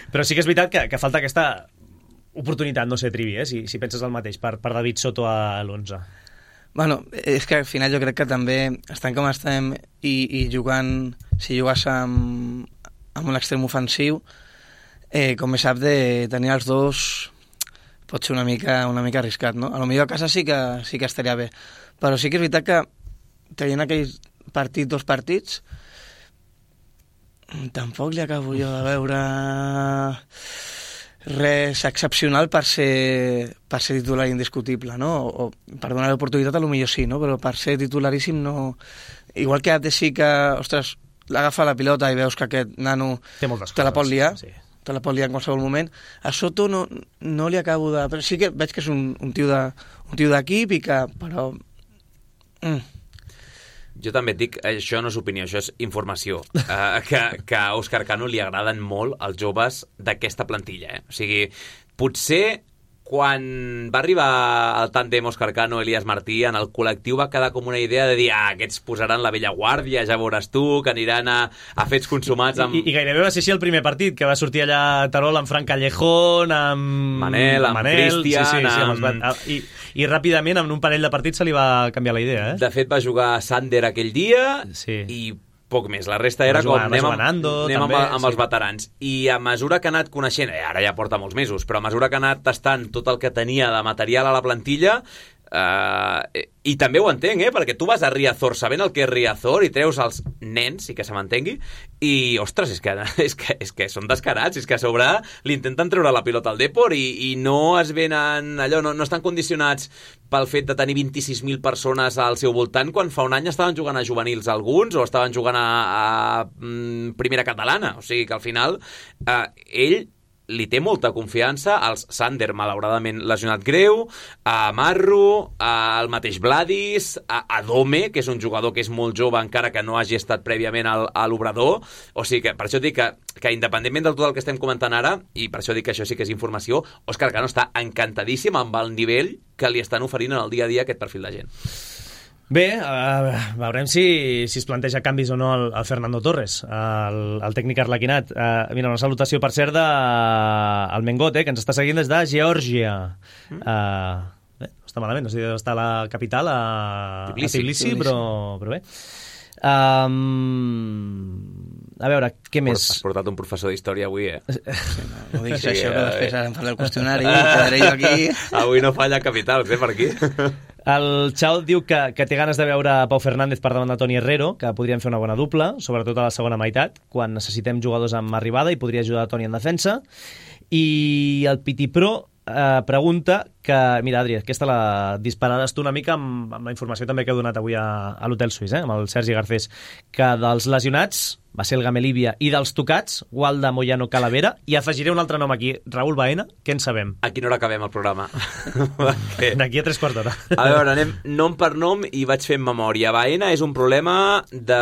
Però sí que és veritat que falta aquesta oportunitat, no sé, Trivi, si penses el mateix, per David Soto a l'11. Bueno, és que al final jo crec que també estan com estem i jugant, si jugues amb un extrem ofensiu, com bé sap, de tenir els dos pot ser una mica arriscat, no? A lo millor a casa sí que estaria bé, però sí que és veritat que tenint aquell dos partits, tampoc li acabo jo de veure res excepcional per ser titular indiscutible, no? O per donar l'oportunitat a lo millor sí, no? Però per ser titularíssim no... Igual que Abde sí que, ostres, l'agafa la pilota i veus que aquest nano te la pot liar, te la pot liar en qualsevol moment. A Soto no li acabo de... Però sí que veig que és un tio d'equip i que... Però... Jo també et dic, això no és opinió, això és informació, que a Òscar Cano li agraden molt els joves d'aquesta plantilla. O sigui, potser quan va arribar el tàndem Òscar Cano, Elias Martí, en el col·lectiu va quedar com una idea de dir, aquests posaran la vella guàrdia, ja veuràs tu, que aniran a fets consumats amb... I gairebé va ser així el primer partit, que va sortir allà a Terol amb Fran Callejón, amb Manel, amb Cristian... I ràpidament, en un parell de partits, se li va canviar la idea. De fet, va jugar Sander aquell dia i poc més. La resta era com anem amb els veterans. I a mesura que ha anat coneixent, ara ja porta molts mesos, però a mesura que ha anat tastant tot el que tenia de material a la plantilla, i també ho entenc, perquè tu vas a Riazor sabent el que és Riazor i treus els nens, i que se m'entengui, i ostres, és que són descarats, és que a sobre li intenten treure la pilota al Depor i no es venen allò, no estan condicionats pel fet de tenir 26.000 persones al seu voltant, quan fa un any estaven jugant a juvenils alguns o estaven jugant a primera catalana, o sigui que al final ell li té molta confiança als Sander, malauradament lesionat greu, a Marro, al mateix Vladis, a Dome, que és un jugador que és molt jove encara que no hagi estat prèviament a l'Obrador. O sigui que per això dic que independentment del tot el que estem comentant ara, i per això dic que això sí que és informació, Òscar Cano està encantadíssim amb el nivell que li estan oferint en el dia a dia aquest perfil de gent. Bé, veurem si es planteja canvis o no el Fernando Torres, el tècnic arlequinat. Mira, una salutació, per cert, al Mengot, que ens està seguint des de Geòrgia. Bé, no està malament, no sé si està a la capital, a Tbilisi, però bé. A veure, què més? Has portat un professor d'història avui, No diguis això, que després em faré el qüestionari i quedaré jo aquí. Avui no falla capitals, per aquí. El Xau diu que té ganes de veure Pau Fernández per davant de Toni Herrero, que podrien fer una bona dupla, sobretot a la segona meitat, quan necessitem jugadors amb arribada i podria ajudar Toni en defensa. I el Piti Pro pregunta que, mira, Adri, aquesta la dispararàs tu una mica amb la informació també que he donat avui a l'Hotel Suís, amb el Sergi Garcés, que dels lesionats va ser el Gamelíbia i dels tocats, Gualda, Moyano, Calavera, i afegiré un altre nom aquí, Raül Baena, què en sabem? A quina hora acabem el programa? D'aquí a 3 quarts d'hora. A veure, anem nom per nom i vaig fent memòria. Baena és un problema de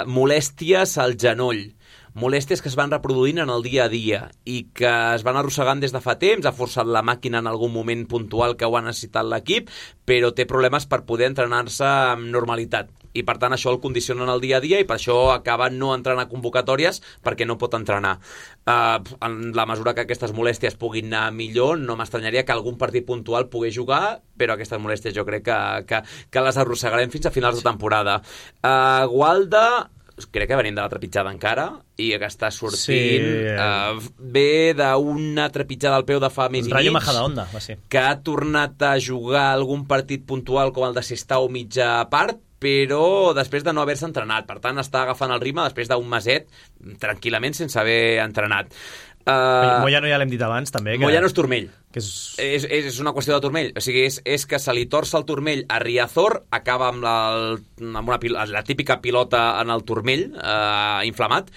molèsties al genoll. Molèsties que es van reproduint en el dia a dia i que es van arrossegant des de fa temps, ha forçat la màquina en algun moment puntual que ho ha necessitat l'equip, però té problemes per poder entrenar-se amb normalitat. I per tant això el condiciona en el dia a dia i per això acaba no entrant a convocatòries perquè no pot entrenar. En la mesura que aquestes molèsties puguin anar millor, no m'estranyaria que algun partit puntual pogués jugar, però aquestes molèsties jo crec que les arrossegarem fins a finals de temporada. Gualda, crec que venim de la trepitjada encara i que està sortint ve d'una trepitjada al peu de fa mes i mig, Rayo Majadahonda, va ser, que ha tornat a jugar algun partit puntual com el de Sestao mitja part, però després de no haver-se entrenat. Per tant, està agafant el ritme després d'un meset tranquil·lament sense haver entrenat. Moyano ja l'hem dit abans també que... Moyano és turmell, que és una qüestió de turmell, o sigui, és que se li torça el turmell a Riazor, acaba amb la típica pilota en el turmell inflamat,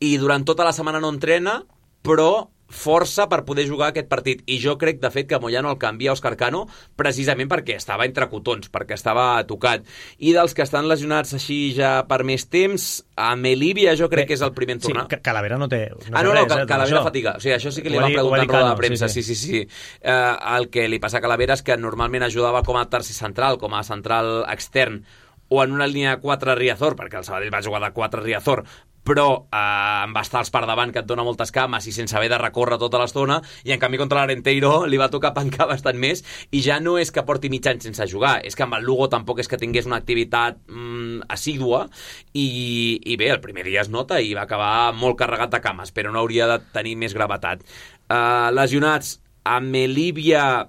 i durant tota la setmana no entrena, però força per poder jugar aquest partit, i jo crec de fet que Moyano el canvia a Òscar Cano precisament perquè estava entre cotons, perquè estava tocat. I dels que estan lesionats així ja per més temps, a Melívia jo crec que és el primer en tornar. Sí, Calavera no té Calavera fatiga, o sigui, això sí que li van preguntar en roda de premsa, sí. El que li passa a Calavera és que normalment ajudava com a tercer central, com a central extern, o en una línia 4 Riazor, perquè el Sabadell va jugar de 4 Riazor, però amb bastals per davant que et dona moltes cames i sense haver de recórrer tota l'estona, i en canvi contra l'Arenteiro li va tocar pencar bastant més, i ja no és que porti mig any sense jugar, és que amb el Lugo tampoc és que tingués una activitat assídua, i bé, el primer dia es nota i va acabar molt carregat de cames, però no hauria de tenir més gravetat. Lesionats, a Melívia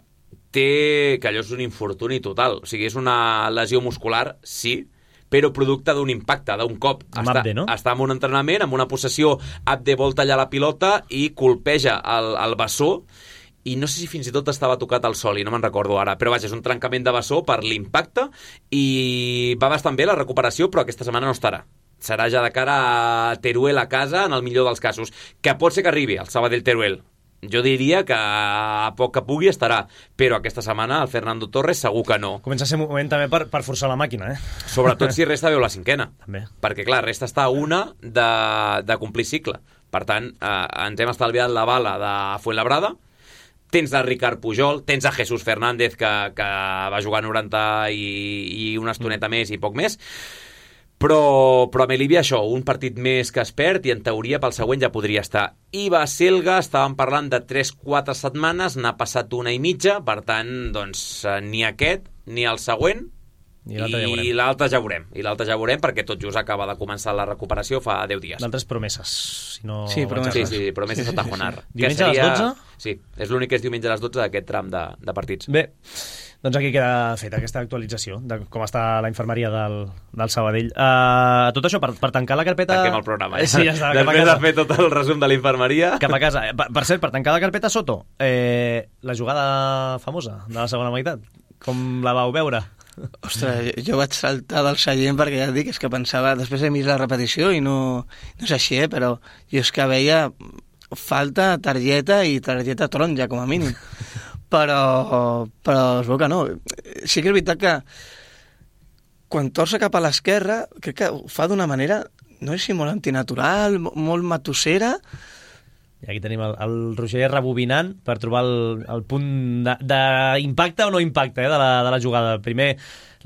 té, que allò és un infortuni total, o sigui, és una lesió muscular, sí, però producte d'un impacte, d'un cop. Està en un entrenament, amb una possessió, Abde vol tallar la pilota i colpeja el bessó, i no sé si fins i tot estava tocat al sol, i no me'n recordo ara, però vaja, és un trencament de bessó per l'impacte, i va bastant bé la recuperació, però aquesta setmana no estarà. Serà ja de cara a Teruel a casa, en el millor dels casos, que pot ser que arribi al Sabadell Teruel. Jo diria que a poc que pugui estarà, però aquesta setmana el Fernando Torres segur que no. Comença a ser un moment també per forçar la màquina, Sobretot si resta veu la cinquena. També. Perquè, clar, resta està una de complir cicle. Per tant, ens hem estalviat la bala de Fuenlabrada, tens a Ricard Pujol, tens a Jesús Fernández, que va jugar 90 i una estoneta més i poc més, però a Melívia això, un partit més que es perd i en teoria pel següent ja podria estar. I Baselga, estàvem parlant de 3-4 setmanes, n'ha passat una i mitja, per tant, doncs, ni aquest ni el següent, i l'altre ja veurem, perquè tot just acaba de començar la recuperació fa 10 dies. D'altres promeses. Sí, promeses a Tajonar. Diumenge a les 12? Sí, és l'únic que és diumenge a les 12 d'aquest tram de partits. Bé, doncs aquí queda feta aquesta actualització de com està la infermeria del Sabadell. Tot això, per tancar la carpeta... Tanquem el programa, Sí, ja està. Després de fer tot el resum de la infermeria... Cap a casa. Per cert, per tancar la carpeta, Soto, la jugada famosa de la segona meitat, com la vau veure? Ostres, jo vaig saltar del seient perquè ja et dic, és que pensava, després he vist la repetició i no és així, però jo és que veia falta, targeta i targeta taronja, com a mínim. Però es veu que no. Sí que és veritat que quan torça cap a l'esquerra, crec que ho fa d'una manera, no sé si molt antinatural, molt matossera. I aquí tenim el Roger rebobinant per trobar el punt d'impacte o no impacte de la jugada. Primer,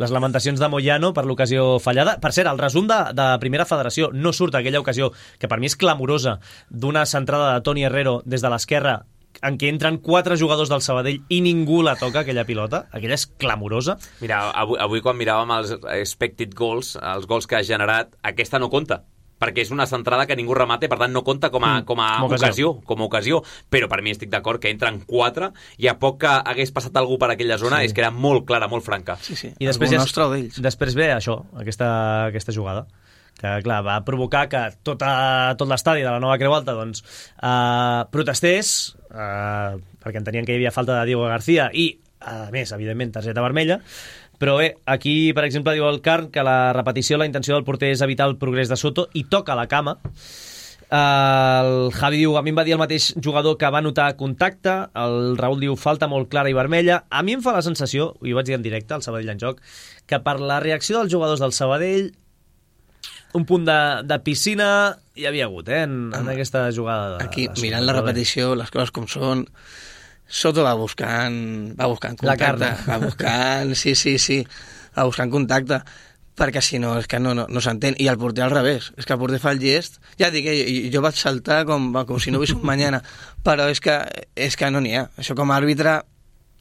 les lamentacions de Moyano per l'ocasió fallada. Per cert, el resum de Primera Federació no surt aquella ocasió, que per mi és clamorosa, d'una centrada de Toni Herrero des de l'esquerra en què entren 4 jugadors del Sabadell i ningú la toca, aquella pilota, aquella és clamorosa. Mira, avui quan miràvem els expected goals, els gols que ha generat, aquesta no compta, perquè és una centrada que ningú remata i per tant no compta com a ocasió, però per mi estic d'acord que entren 4 i a poc que hagués passat algú per aquella zona és que era molt clara, molt franca. Sí. I després ve això, aquesta jugada, que clar, va provocar que tot l'estadi de la Nova Creu Alta doncs, protestés, perquè entenien que hi havia falta de Diego García i, a més, evidentment, targeta vermella. Però bé, aquí, per exemple, diu el Carn que la repetició, la intenció del porter és evitar el progrés de Soto i toca la cama. El Javi diu, a mi em va dir el mateix jugador que va notar contacte. El Raül diu, falta molt clara i vermella. A mi em fa la sensació, i ho vaig dir en directe, al Sabadell en joc, que per la reacció dels jugadors del Sabadell un punt de piscina hi havia hagut, en aquesta jugada. Aquí, mirant la repetició, les coses com són, Soto va buscant contacte. La carn. Va buscant, sí, va buscant contacte, perquè si no, és que no s'entén. I el porter al revés, és que el porter fa el gest. Ja dic, jo vaig saltar com si no hubies un mañana, però és que no n'hi ha. Això com a àrbitre,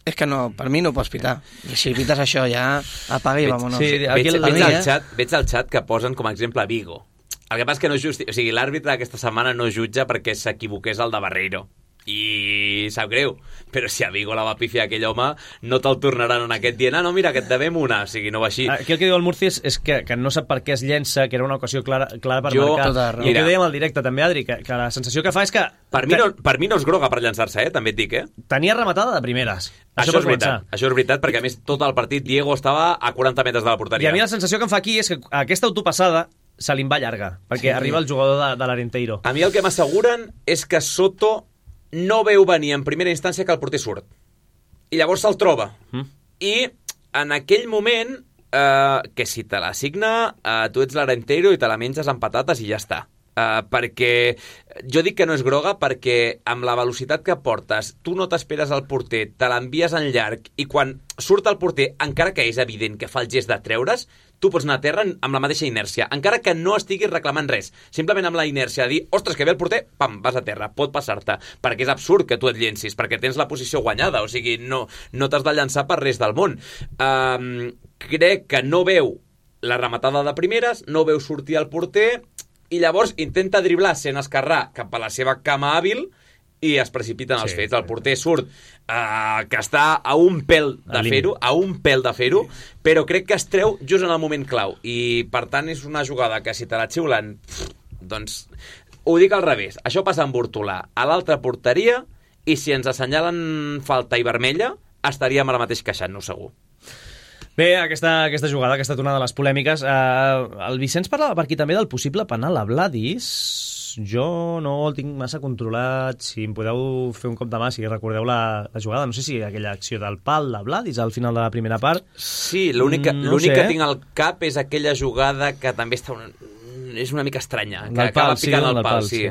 és que no, per mi no pots pitar. I si pites això ja, apaga i vámonos. Sí, veig al xat que posen com a exemple Vigo. El que passa és que o sigui, l'àrbitre aquesta setmana no jutja perquè s'equivoqués el de Barreiro. I sap greu, però si a Vigo la va pifiar aquell home no te'l tornaran en aquest dient, no, mira, que et devem una, o sigui, no va així. Aquí el que diu el Murci és que no sap per què es llença, que era una ocasió clara per marcar. I que dèiem al directe també, Adri, que la sensació que fa és que... Per mi no és groga per llençar-se, també et dic, Tenia rematada de primeres. Això és veritat, perquè a més tot el partit Diego estava a 40 metres de la porteria. I a mi la sensació que em fa aquí és que aquesta autopassada se li en va llarga, perquè arriba el jugador de l'Arenteiro. A mi el que m'asseguren és que Soto no veu venir en primera instància que el porter surt. I llavors se'l troba. I en aquell moment, que si te l'assigna, tu ets l'Arenteiro i te la menges amb patates i ja està. Perquè jo dic que no és groga perquè amb la velocitat que portes tu no t'esperes al porter, te l'envies en llarg i quan surt el porter, encara que és evident que fa el gest de treure's, tu pots anar a terra amb la mateixa inèrcia, encara que no estiguis reclamant res, simplement amb la inèrcia de dir, ostres, que ve el porter, pam, vas a terra, pot passar-te, perquè és absurd que tu et llencis, perquè tens la posició guanyada, o sigui, no t'has de llançar per res del món. Crec que no veu la rematada de primeres, no veu sortir el porter, i llavors intenta driblar sent esquerrà cap a la seva cama hàbil i es precipiten els fets. El porter surt que està a un pèl de fer-ho, però crec que es treu just en el moment clau. I, per tant, és una jugada que si te la xiulen, doncs ho dic al revés. Això passa amb Hortolà a l'altra porteria i si ens assenyalen falta i vermella, estaríem ara mateix queixant-nos segur. Bé, aquesta jugada, que ha estat una de les polèmiques. El Vicenç parlava per aquí també del possible penal a Vladis. Jo no el tinc massa controlat. Si em podeu fer un cop de mà, si recordeu la jugada. No sé si aquella acció del pal de Vladis al final de la primera part. Sí, l'únic que tinc al cap és aquella jugada que també està és una mica estranya, que acaba picant el pal. Sí.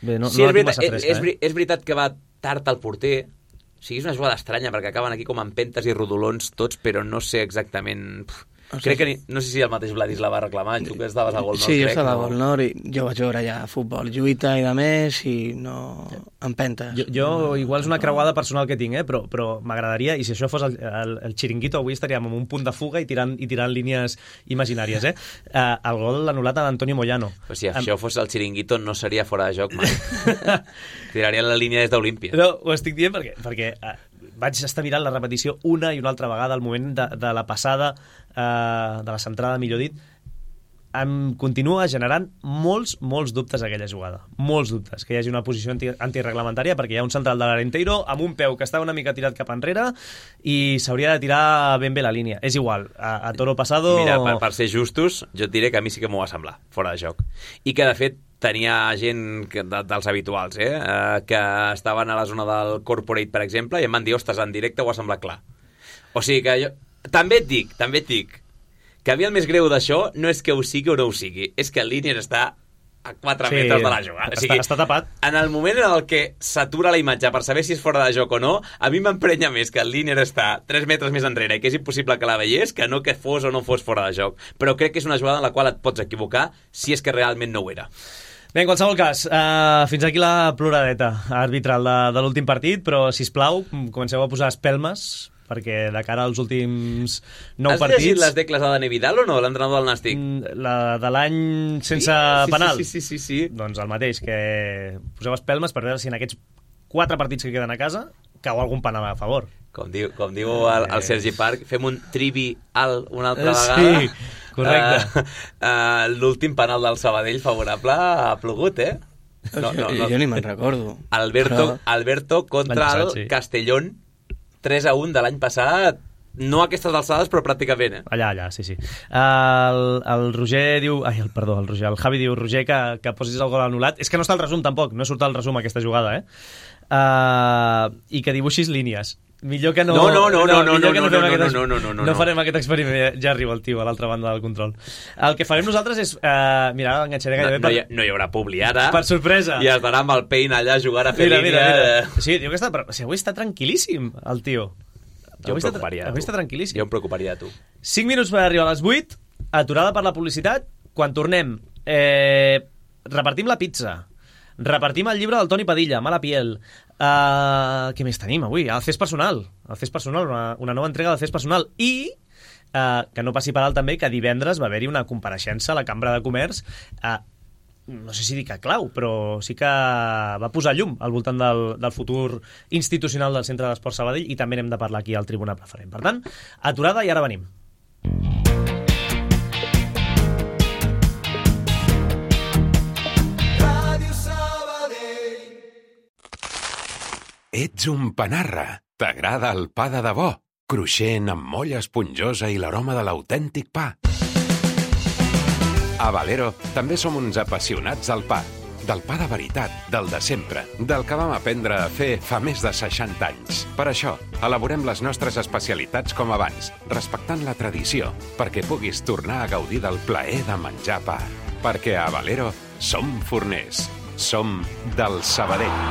Bé, no sí, la tinc massa fresca. És veritat que va tard al porter. O sigui, és una jugada estranya, perquè acaben aquí com amb pentes i rodolons tots, però no sé exactament... Crec que no sé si el mateix Vladis la va reclamar, tu que estaves a Gol Nord. Sí, jo estava a Gol Nord i jo vaig veure ja futbol, lluita i de més i no empentes. Jo igual és una creuada personal que tinc, però m'agradaria, i si això fos el xiringuito, avui estaríem en un punt de fuga i tirant línies imaginàries. El gol anul·lat a l'Antonio Moyano. Però si això fos el xiringuito no seria fora de joc mai. Tiraria la línia des d'Olímpia. No, ho estic dient perquè vaig estar mirant la repetició una i una altra vegada al moment de la passada, de la centrada, millor dit. Em continua generant molts dubtes aquella jugada. Molts dubtes. Que hi hagi una posició antireglamentària perquè hi ha un central de l'Arenteiro amb un peu que està una mica tirat cap enrere i s'hauria de tirar ben bé la línia. És igual, a toro pasado... Mira, per ser justos, jo et diré que a mi sí que m'ho va semblar, fora de joc. I que, de fet, tenia gent dels habituals, que estaven a la zona del Corporate, per exemple, i em van dir, ostres, en directe ho ha semblat clar. O sigui que jo... També et dic que a mi el més greu d'això no és que ho sigui o no ho sigui, és que el Línier està a 4 metres de la jugada. O sigui, està tapat. En el moment en el que s'atura la imatge per saber si és fora de joc o no, a mi m'emprenya més que el Línier està 3 metres més enrere i que és impossible que la veiés que no que fos o no fos fora de joc. Però crec que és una jugada en la qual et pots equivocar si és que realment no ho era. Bé, en qualsevol cas, fins aquí la ploradeta arbitral de l'últim partit, però, sisplau, comenceu a posar espelmes, perquè de cara als últims 9 partits... Has llegit les decles de Dani Vidal o no, l'entrenador del Nàstic? La de l'any sense penal? Sí. Doncs el mateix, que poseu espelmes per veure si en aquests 4 partits que queden a casa cau algun penal a favor. Com diu el Sergi Parc, fem un trivial una altra vegada. Sí, correcte. L'últim penal del Sabadell favorable ha plogut, eh? No. Jo ni me'n recordo. Alberto contra el Castellón, 3-1 de l'any passat, no a aquestes alçades, però pràcticament, eh? Allà, sí. El Roger diu... el Javi diu, Roger, que posis el gol anul·lat. És que no està el resum, tampoc. No surt el resum, aquesta jugada, i que dibuixis línies. Millor que no... No farem aquest experiment. Ja arriba el tio a l'altra banda del control. El que farem nosaltres és... mira, enganxaré gairebé... No hi haurà publi ara. Per sorpresa. I estarà amb el Paint allà a jugar a fer línia. Mira. Sí, diu que avui està tranquil·líssim, el tio. Avui està tranquil·líssim. Jo em preocuparia de tu. 5 minuts per arribar a les 8, aturada per la publicitat. Quan tornem, repartim la pizza, repartim el llibre del Toni Padilla, Mala piel. Què més tenim avui? El CES personal, una nova entrega del CES personal. I que no passi per alt també que divendres va haver-hi una compareixença a la Cambra de Comerç, no sé si dic a clau, però sí que va posar llum al voltant del futur institucional del Centre d'Esport Sabadell, i també n'hem de parlar aquí al Tribuna Preferent. Per tant, aturada i ara venim. Ets un panarra. T'agrada el pa de debò, cruixent, amb molla esponjosa i l'aroma de l'autèntic pa. A Valero també som uns apassionats del pa de veritat, del de sempre, del que vam aprendre a fer fa més de 60 anys. Per això, elaborem les nostres especialitats com abans, respectant la tradició, perquè puguis tornar a gaudir del plaer de menjar pa. Perquè a Valero som forners, som del Sabadell.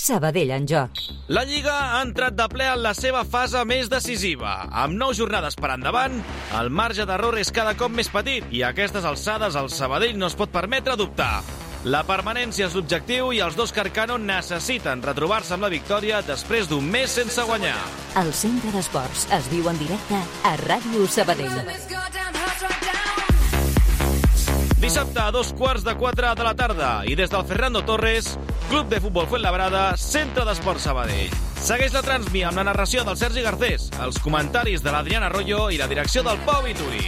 Sabadell en joc. La Lliga ha entrat de ple en la seva fase més decisiva. Amb 9 jornades per endavant, el marge d'error és cada cop més petit i a aquestes alçades el Sabadell no es pot permetre dubtar. La permanència és l'objectiu i els dos Carcano necessiten retrobar-se amb la victòria després d'un mes sense guanyar. El Centre d'Esports es viu en directe a Ràdio Sabadell. Dissabte a 3:15 de la tarda i des del Fernando Torres, Club de Futbol Fuenlabrada, Centre d'Esport Sabadell. Segueix la transmi amb la narració del Sergi Garcés, els comentaris de l'Adrián Arroyo i la direcció del Pau Vituri.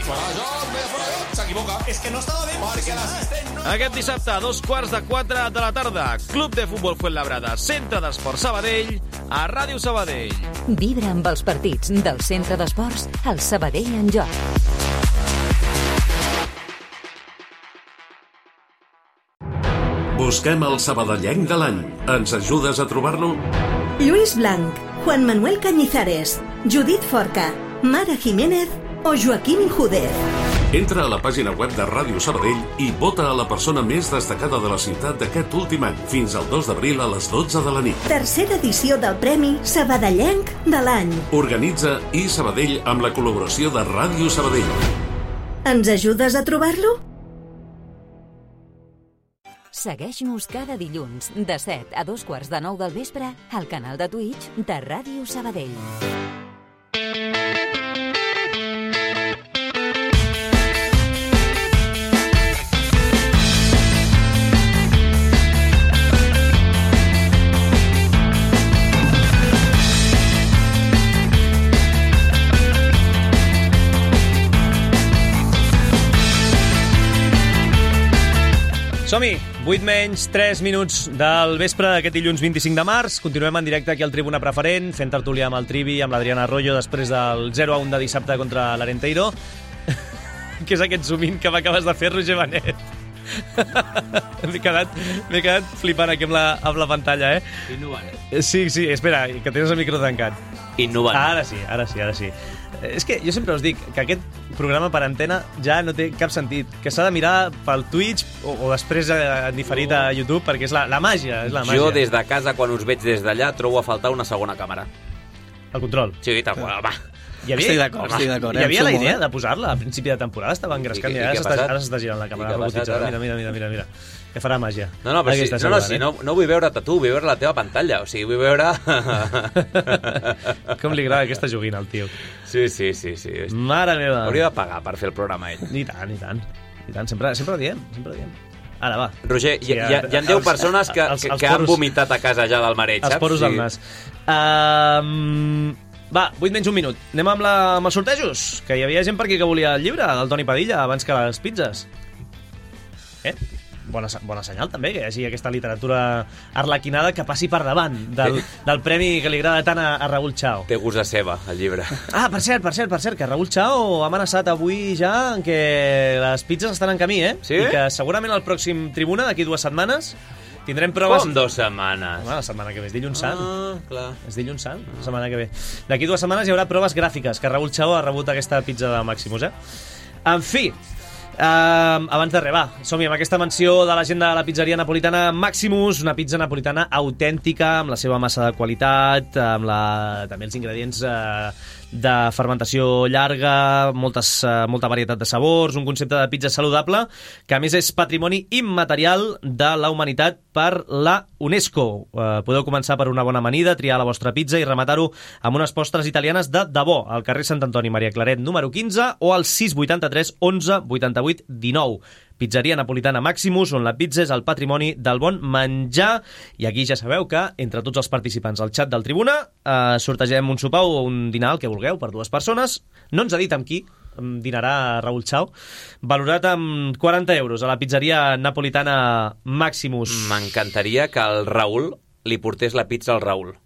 S'equivoca. És que no estava bé. Perquè l'assistent no... Aquest dissabte a 3:15 de la tarda, Club de Futbol Fuenlabrada, Centre d'Esport Sabadell, a Ràdio Sabadell. Vibra amb els partits del Centre d'Esports, el Sabadell en joc. Busquem el sabadellenc de l'any. Ens ajudes a trobar-lo? Lluís Blanc, Juan Manuel Cañizares, Judit Forca, Mara Jiménez o Joaquín Injúdez. Entra a la pàgina web de Ràdio Sabadell i vota a la persona més destacada de la ciutat d'aquest últim any, fins al 2 d'abril a les 12 de la nit. Tercera edició del Premi Sabadellenc de l'any. Organitza iSabadell amb la col·laboració de Ràdio Sabadell. Ens ajudes a trobar-lo? Segueix-nos cada dilluns de 7 a 8:45 del vespre al canal de Twitch de Ràdio Sabadell. Som-hi! 8 menys 3 minuts del vespre d'aquest dilluns 25 de març. Continuem en directe aquí al Tribuna Preferent, fent tertúlia amb el Trivi, amb l'Adrián Arroyo, després del 0-1 de dissabte contra l'Arenteiro. Què és aquest zoom-in que m'acabes de fer, Roger Benet? M'he quedat flipant aquí amb la pantalla, eh? Innovant. Sí, espera, que tens el micro tancat. Innovant. Ara sí. És que jo sempre us dic que aquest programa per antena ja no té cap sentit, que s'ha de mirar pel Twitch o després en diferit a YouTube, perquè és la màgia, Jo des de casa, quan us veig des d'allà, trobo a faltar una segona càmera. El control. Sí, tal qual, va. Estic d'acord. Hi havia la idea de posar-la a principi de temporada, estava engrescant i ara s'està girant la càmera robotitzada. Mira. Que farà màgia. No, vull veure't a tu, vull veure la teva pantalla. O sigui, vull veure... Com li agrada aquesta joguina al tio. Sí. Mare meva. Hauria de pagar per fer el programa ell. I tant. Sempre ho diem. Ara, va. Roger, hi ha 10 persones que han vomitat a casa ja del mareig, saps? Els poros del nas. Va, 8 menys un minut. Anem amb els sortejos, que hi havia gent per aquí que volia el llibre del Toni Padilla abans que les pizzas. Bona senyal també, que hi hagi aquesta literatura arlequinada que passi per davant del premi que li agrada tant a Raül Chao. Té gust de ceba, el llibre. Ah, per cert, que Raül Chao ha amenaçat avui ja que les pizzas estan en camí, Sí? I que segurament el pròxim Tribuna, d'aquí 2 setmanes, tindrem proves... Com 2 setmanes? La setmana que ve, és dilluns sant. Clar. És dilluns sant, la setmana que ve. D'aquí 2 setmanes hi haurà proves gràfiques, que Raül Chao ha rebut aquesta pizza de Maximus, En fi, abans de res, va, som-hi amb aquesta menció de la gent de la pizzeria napolitana Maximus, una pizza napolitana autèntica, amb la seva massa de qualitat, amb també els ingredients de fermentació llarga, molta varietat de sabors, un concepte de pizza saludable, que a més és patrimoni immaterial de la humanitat per la UNESCO. Podeu començar per una bona amanida, triar la vostra pizza i rematar-ho amb unes postres italianes de debò, al carrer Sant Antoni Maria Claret número 15 o al 683 11 88 19. Pizzeria napolitana Maximus, on la pizza és el patrimoni del bon menjar. I aquí ja sabeu que, entre tots els participants al xat del Tribuna, sortegem un sopar o un dinar, el que vulgueu, per 2 persones. No ens ha dit amb qui dinarà Raül Chao, valorat amb 40 euros a la pizzeria napolitana Maximus. M'encantaria que el Raül li portés la pizza al Raül.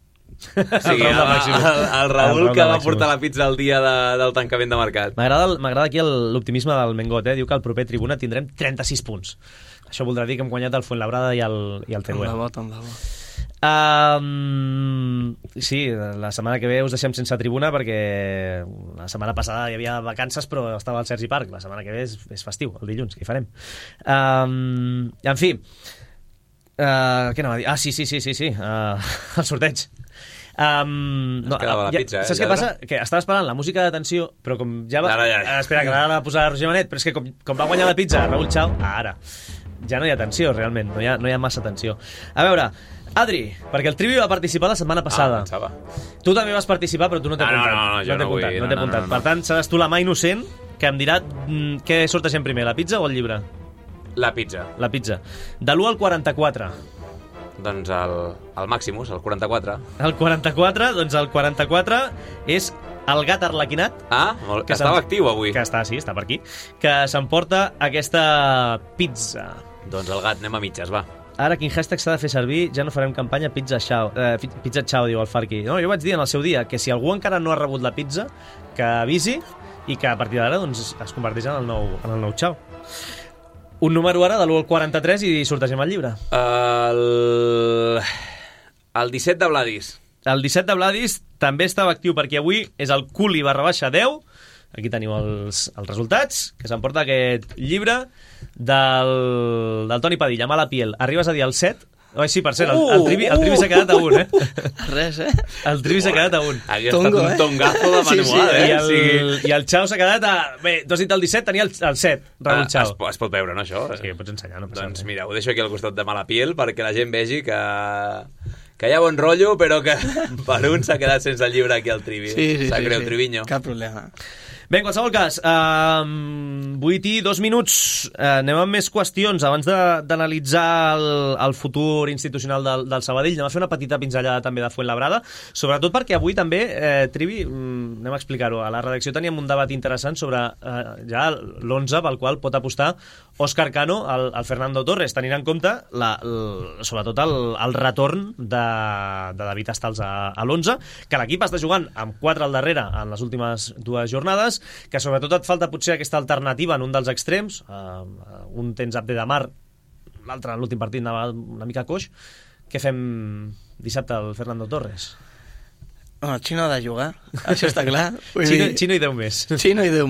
Sí, el Raül que va portar la pizza el dia del tancament de mercat. M'agrada aquí l'optimisme del Mengot, Diu que al proper Tribuna tindrem 36 punts. Això voldrà dir que hem guanyat el Fuenlabrada i el Teruel. Tant de bo. Sí, la setmana que ve us deixem sense Tribuna perquè la setmana passada hi havia vacances però estava al Sergi Parc. La setmana que ve és festiu, el dilluns, què hi farem? En fi, què anava a dir? Sí, el sorteig. Quedava la pizza, saps què passa? Que estava esperant la música de tensió, però com ja va... Espera, que ara la posarà Roger Manet, però és que com va guanyar la pizza Raül Chao, ara ja no hi ha tensió, realment, no hi ha massa tensió. A veure, Adri, perquè el Trivi va participar la setmana passada. Tu també vas participar, però tu no t'he apuntat. No t'he apuntat. Per tant, seràs tu la mà innocent que em dirà què sortegem primer, la pizza o el llibre? La pizza. De l'1 al 44. Doncs el Maximus, el 44. El 44, doncs el 44 és el gat arlequinat. Que estava actiu avui. Que està per aquí. Que s'emporta aquesta pizza. Doncs el gat, anem a mitges, va. Ara, quin hashtag s'ha de fer servir? Ja no farem campanya Pizza Chao, diu el Farqui. No, jo vaig dir en el seu dia que si algú encara no ha rebut la pizza, que avisi i que a partir d'ara doncs, es converteix en el nou Chao. Un número ara de l'1 al 43 i sortegem el llibre. El 17 de Vladis. El 17 de Vladis també estava actiu perquè avui és el Culi /10. Aquí teniu els resultats, que s'emporta aquest llibre del Toni Padilla, Mala piel. Arribes a dir el 7. Sí, per cert, el Trivi s'ha quedat a 1, Res, El Trivi s'ha quedat a 1. Ha estat un tongazo de manual, I el Chao s'ha quedat a... Bé, tu has dit el 17, tenia el 7, Raül Chao. Es pot veure, no, això? Sí, pots ensenyar, no passa res. Doncs mira, ho deixo aquí al costat de Mala piel perquè la gent vegi que hi ha bon rotllo, però que per un s'ha quedat sense el llibre aquí al Trivi. Sap greu, Triviño. Cap problema. Bé, en qualsevol cas, 8 i 2 minuts, anem amb més qüestions. Abans d'analitzar el futur institucional del Sabadell, anem a fer una petita pinzellada també de Fuenlabrada, sobretot perquè avui també, Trivi, anem a explicar-ho, a la redacció teníem un debat interessant sobre ja l'11 pel qual pot apostar Òscar Cano al Fernando Torres, tenint en compte sobretot el retorn de David Astals a l'11, que l'equip està jugant amb 4 al darrere en les últimes 2 jornades, que sobretot et falta potser aquesta alternativa en un dels extrems, un tens Abde Damar, l'altre en l'últim partit anava una mica coix. Què fem dissabte al Fernando Torres? Xino ha de jugar, això està clar. Xino i 10 més. Xino i 10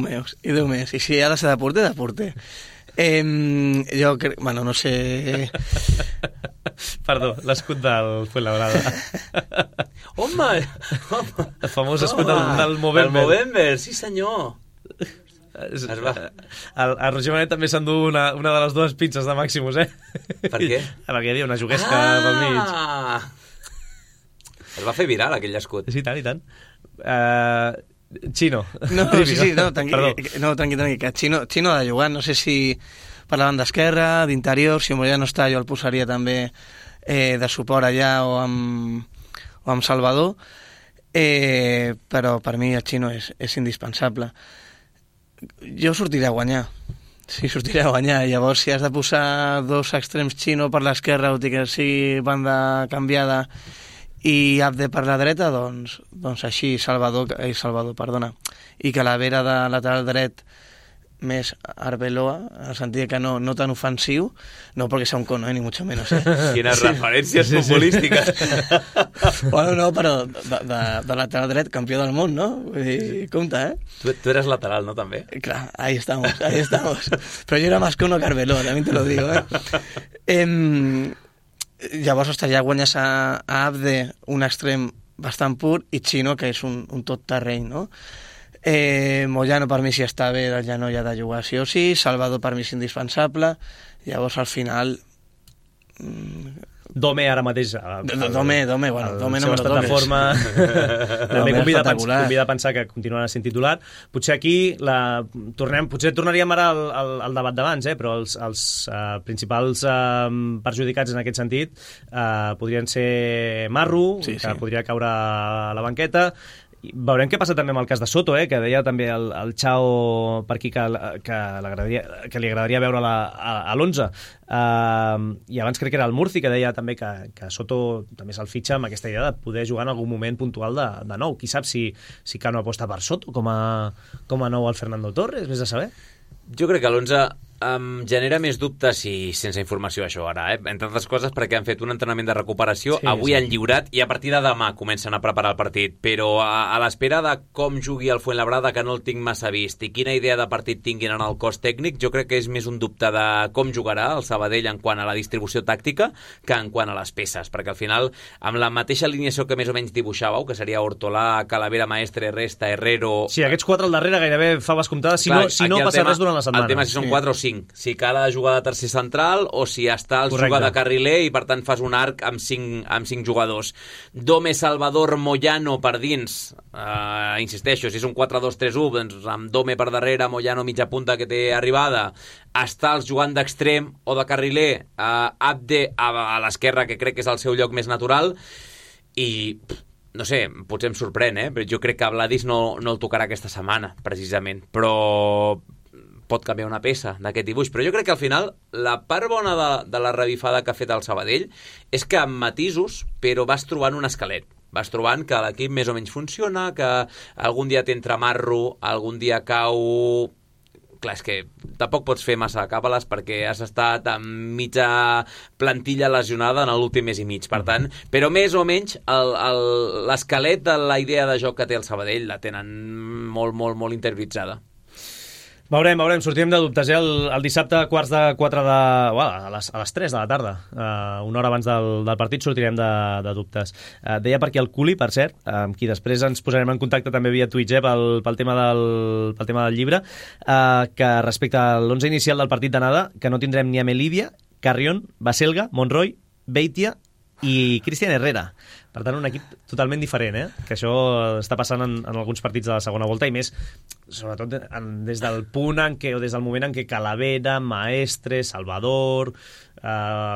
més. I si ha de ser de porter, de porter. Jo crec... Bueno, no sé... Perdó, l'escut del Fuenlabrada. Home! El famós escut del Movember. El Movember, sí senyor. A Roger Manet també s'endú una de les dues pizzas de Maximus, Per què? Perquè hi havia una juguesca pel mig. Es va fer viral aquell escut. Sí, tant. Chino. No, tranqui, que Chino ha de jugar, no sé si per la banda esquerra, d'interior, si Moya no està jo el posaria també de suport allà o amb Salvador, però per mi el Chino és indispensable. Jo sortiré a guanyar. Sí, sortiré a guanyar. Llavors, si has de posar dos extrems Chino per l'esquerra, o que sigui banda canviada, i Abde per la dreta, doncs així, Salvador, i Calavera de lateral dret més Arbeloa, en el sentit que no tan ofensiu, no perquè sea un cono, ni mucho menos. Quines referències futbolístiques. Bueno, no, però de lateral dret, campió del món, no? Vull dir, compte, Tu eres lateral, ¿no? També. Clar, ahí estamos. Però jo era más cono que Arbeloa, también te lo digo, Llavors, ja guanyes a Abde, un extrem bastant pur, i Chino, que és un tot terreny, no? Moyano per mi si està bé del genoll ha de jugar sí o sí, Salvador per mi és indispensable, llavors al final Dome ara mateix Dome no me lo toques forma també convida a pensar que continuarà sent titular. Potser aquí potser tornaríem ara al debat d'abans, però els principals perjudicats en aquest sentit podrien ser Marru, que podria caure a la banqueta. Veurem què passa també amb el cas de Soto, que deia també el Chao per aquí que li agradaria veure a l'11. I abans crec que era el Murci que deia també que Soto també se'l fitxa amb aquesta idea de poder jugar en algun moment puntual de nou. Qui sap si Cano aposta per Soto com a nou al Fernando Torres, vés a saber. Jo crec que l'11 em genera més dubtes i sense informació això ara, entre altres coses perquè han fet un entrenament de recuperació, avui han lliurat i a partir de demà comencen a preparar el partit, però a l'espera de com jugui el Fuenlabrada, que no el tinc massa vist, i quina idea de partit tinguin en el cos tècnic, jo crec que és més un dubte de com jugarà el Sabadell en quant a la distribució tàctica que en quant a les peces, perquè al final amb la mateixa alineació que més o menys dibuixàveu, que seria Hortolà, Calavera, Maestre, Resta, Herrero... Sí, aquests quatre al darrere gairebé faves comptades, si no passa res durant la setmana. El tema si són 4 o 5, si cal jugar de tercer central o si està el jugar de carriler i per tant fas un arc amb 5 jugadors. Dome, Salvador, Moyano per dins, insisteixo, si és un 4-2-3-1, doncs amb Dome per darrere, Moyano mitja punta que té arribada, Estals jugant d'extrem o de carriler, Abde a l'esquerra, que crec que és el seu lloc més natural, i no sé, potser em sorprèn, però jo crec que Vladis no el tocarà aquesta setmana, precisament, però pot canviar una peça d'aquest dibuix, però jo crec que al final la part bona de la revifada que ha fet el Sabadell és que amb matisos, però vas trobant un esquelet, vas trobant que l'equip més o menys funciona, que algun dia t'entra Marro, algun dia cau... Clar, és que tampoc pots fer massa càbales perquè has estat amb mitja plantilla lesionada en l'últim mes i mig, per tant, però més o menys l'esquelet de la idea de joc que té el Sabadell la tenen molt, molt, molt interioritzada. Veurem, sortirem de dubtes, el dissabte a 3:15 a les 3 de la tarda, una hora abans del partit sortirem de dubtes. Deia per aquí el Culi, per cert, amb qui després ens posarem en contacte també via Twitch pel tema del llibre, que respecte a l'11 inicial del partit d'anada, que no tindrem ni a Melivia, Carrión, Baselga, Monroy, Beitia i Cristian Herrera. Per tant, un equip totalment diferent, que això està passant en alguns partits de la segona volta i més, sobretot des del punt en què, o des del moment en què Calavera, Maestre, Salvador,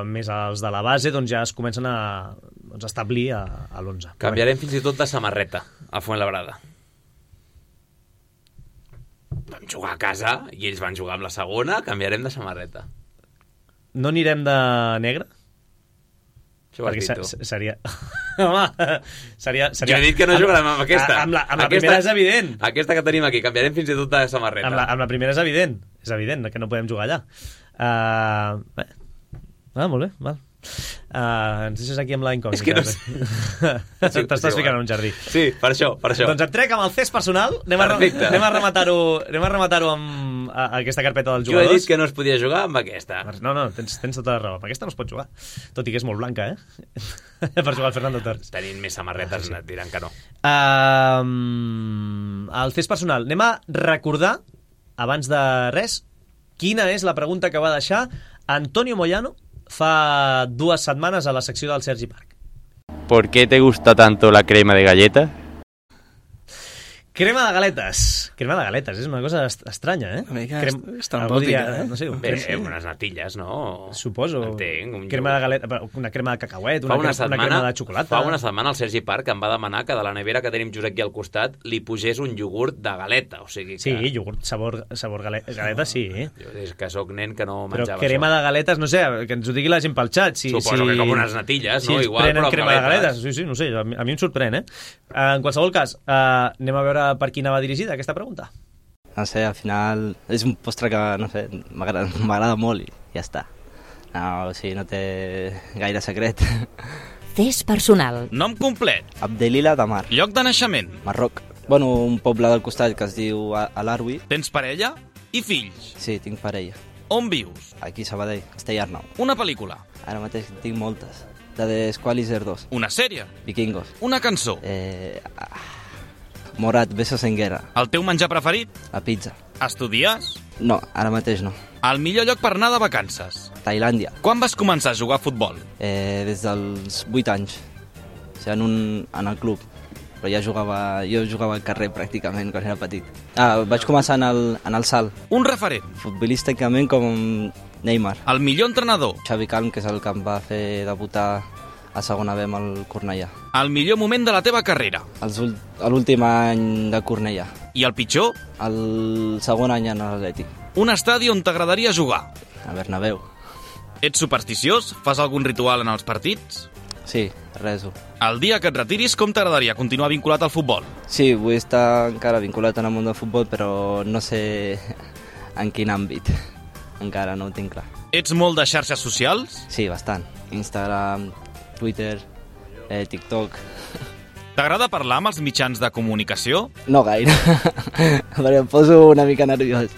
més els de la base, doncs ja es comencen a establir a l'11. Canviarem fins i tot de samarreta a Fuenlabrada. Vam jugar a casa i ells van jugar amb la segona, canviarem de samarreta. No anirem de negre? Perquè seria... Home, seria... Jo he dit que no jugarem amb aquesta. Amb la primera és evident. Aquesta que tenim aquí, canviarem fins i tot de samarreta. Amb la primera és evident que no podem jugar allà. Molt bé, val. Ens deixes aquí amb la incògnita. És que no sé. T'estàs ficant en un jardí. Sí, per això. Doncs et trec amb el cés personal. Anem a rematar-ho amb aquesta carpeta dels Jo jugadors. he dit que no es podia jugar amb aquesta. No, tens tota la raó. Amb aquesta no es pot jugar. Tot i que és molt blanca, per jugar al Fernando Torres. Tenint més samarretes et diran que no. El test personal. Anem a recordar, abans de res, quina és la pregunta que va deixar Antonio Moyano fa 2 setmanes a la secció del Sergi Parc. ¿Por qué te gusta tanto la crema de galleta? Crema de galetes. Crema de galetes, és una cosa estranya, Una mica estrambòtica, no sé. Unes natilles, no? Suposo. Entenc. Crema de galeta, una crema de cacauet, una crema de xocolata. Fa una setmana el Sergi Parc em va demanar que de la nevera que tenim just aquí al costat li posés un iogurt de galeta. O sigui que... Sí, iogurt sabor galeta, sí. Jo des que sóc nen que no Però menjava crema això. de galetes, no sé, que ens ho digui la gent pel xat. Suposo que com unes natilles, no? Si Igual, prenen però amb crema de galetes. galetes. Sí, no sé, a mi em sorprèn, En qualsevol cas, anem a veure per qui anava dirigida aquesta pregunta. No sé, al final és un postre que, no sé, m'agrada molt i ja està. No, o sigui, no té gaire secret. Test personal. Nom complet. Abdelila Damar. Lloc de naixement. Marroc. Bueno, un poble del costat que es diu Alarwi. Tens parella i fills. Sí, tinc parella. On vius? Aquí a Sabadell, Castellarnau. Una pel·lícula. Ara mateix tinc moltes. La de Squalizer 2. Una sèrie. Vikingos. Una cançó. Morat, Besos en Guerra. El teu menjar preferit? La pizza. Estudies? No, ara mateix no. El millor lloc per anar de vacances? Tailàndia. Quan vas començar a jugar a futbol? Des dels 8 anys. O sigui, en el club. Però jo jugava al carrer pràcticament quan era petit. Vaig començar en el salt. Un referent? Futbolísticament com Neymar. El millor entrenador? Xavi Calm, que és el que em va fer debutar a segona B amb el Cornellà. El millor moment de la teva carrera? L'últim any de Cornellà. I el pitjor? El segon any en l'Atlètic. Un estadi on t'agradaria jugar? A Bernabéu. Ets supersticiós? Fas algun ritual en els partits? Sí, reso. El dia que et retiris, com t'agradaria continuar vinculat al futbol? Sí, vull estar encara vinculat en el món del futbol, però no sé en quin àmbit. Encara no ho tinc clar. Ets molt de xarxes socials? Sí, bastant. Instagram, Twitter, TikTok. T'agrada parlar amb els mitjans de comunicació? No gaire, perquè em poso una mica nerviós.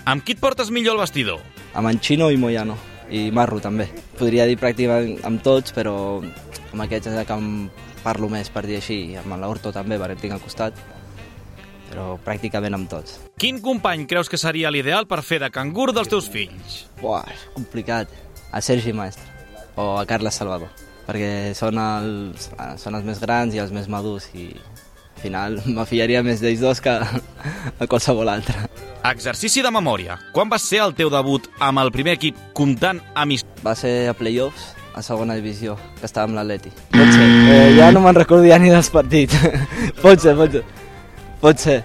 Amb qui et portes millor al vestidor? Amb en Chino i Moyano, i Marro també. Podria dir pràcticament amb tots, però amb aquests és el que em parlo més, per dir així. Amb l'Horto també, perquè el tinc al costat, però pràcticament amb tots. Quin company creus que seria l'ideal per fer de cangur dels teus fills? Buah, és complicat. A Sergi Maestre o a Carles Salvador, perquè són els més grans i els més madurs i al final m'afiaria més d'ells dos que a qualsevol altre. Exercici de memòria. Quan va ser el teu debut amb el primer equip comptant Va ser a playoffs, a segona divisió, que estava amb l'Atleti. Pot ser. Ja no me'n recordo ja ni dels partits. Pot ser.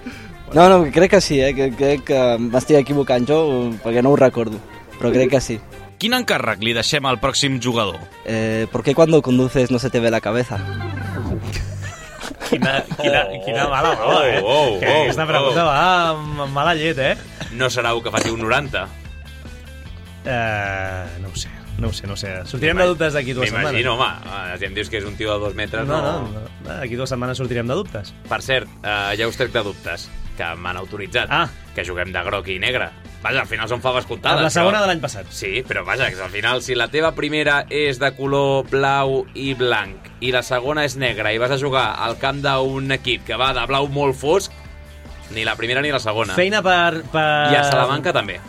No, crec que sí, crec que m'estic equivocant jo, perquè no ho recordo, però crec que sí. Quin encàrrec li deixem al pròxim jugador? ¿Por qué cuando conduces no se te ve la cabeza? Quina mala mala, que aquesta pregunta va amb mala llet, No serà que faci un 90? No ho sé. Sortirem de dubtes d'aquí 2 setmanes. M'imagino, home, si em dius que és un tio de 2 metres, no. D'aquí 2 setmanes sortirem de dubtes. Per cert, ja us trec de dubtes, que m'han autoritzat, que juguem de groc i negre. Vaja, al final són faves comptades. Amb la segona de l'any passat. Sí, però vaja, que al final, si la teva primera és de color blau i blanc i la segona és negra i vas a jugar al camp d'un equip que va de blau molt fosc, ni la primera ni la segona. Feina per... I a Salamanca també.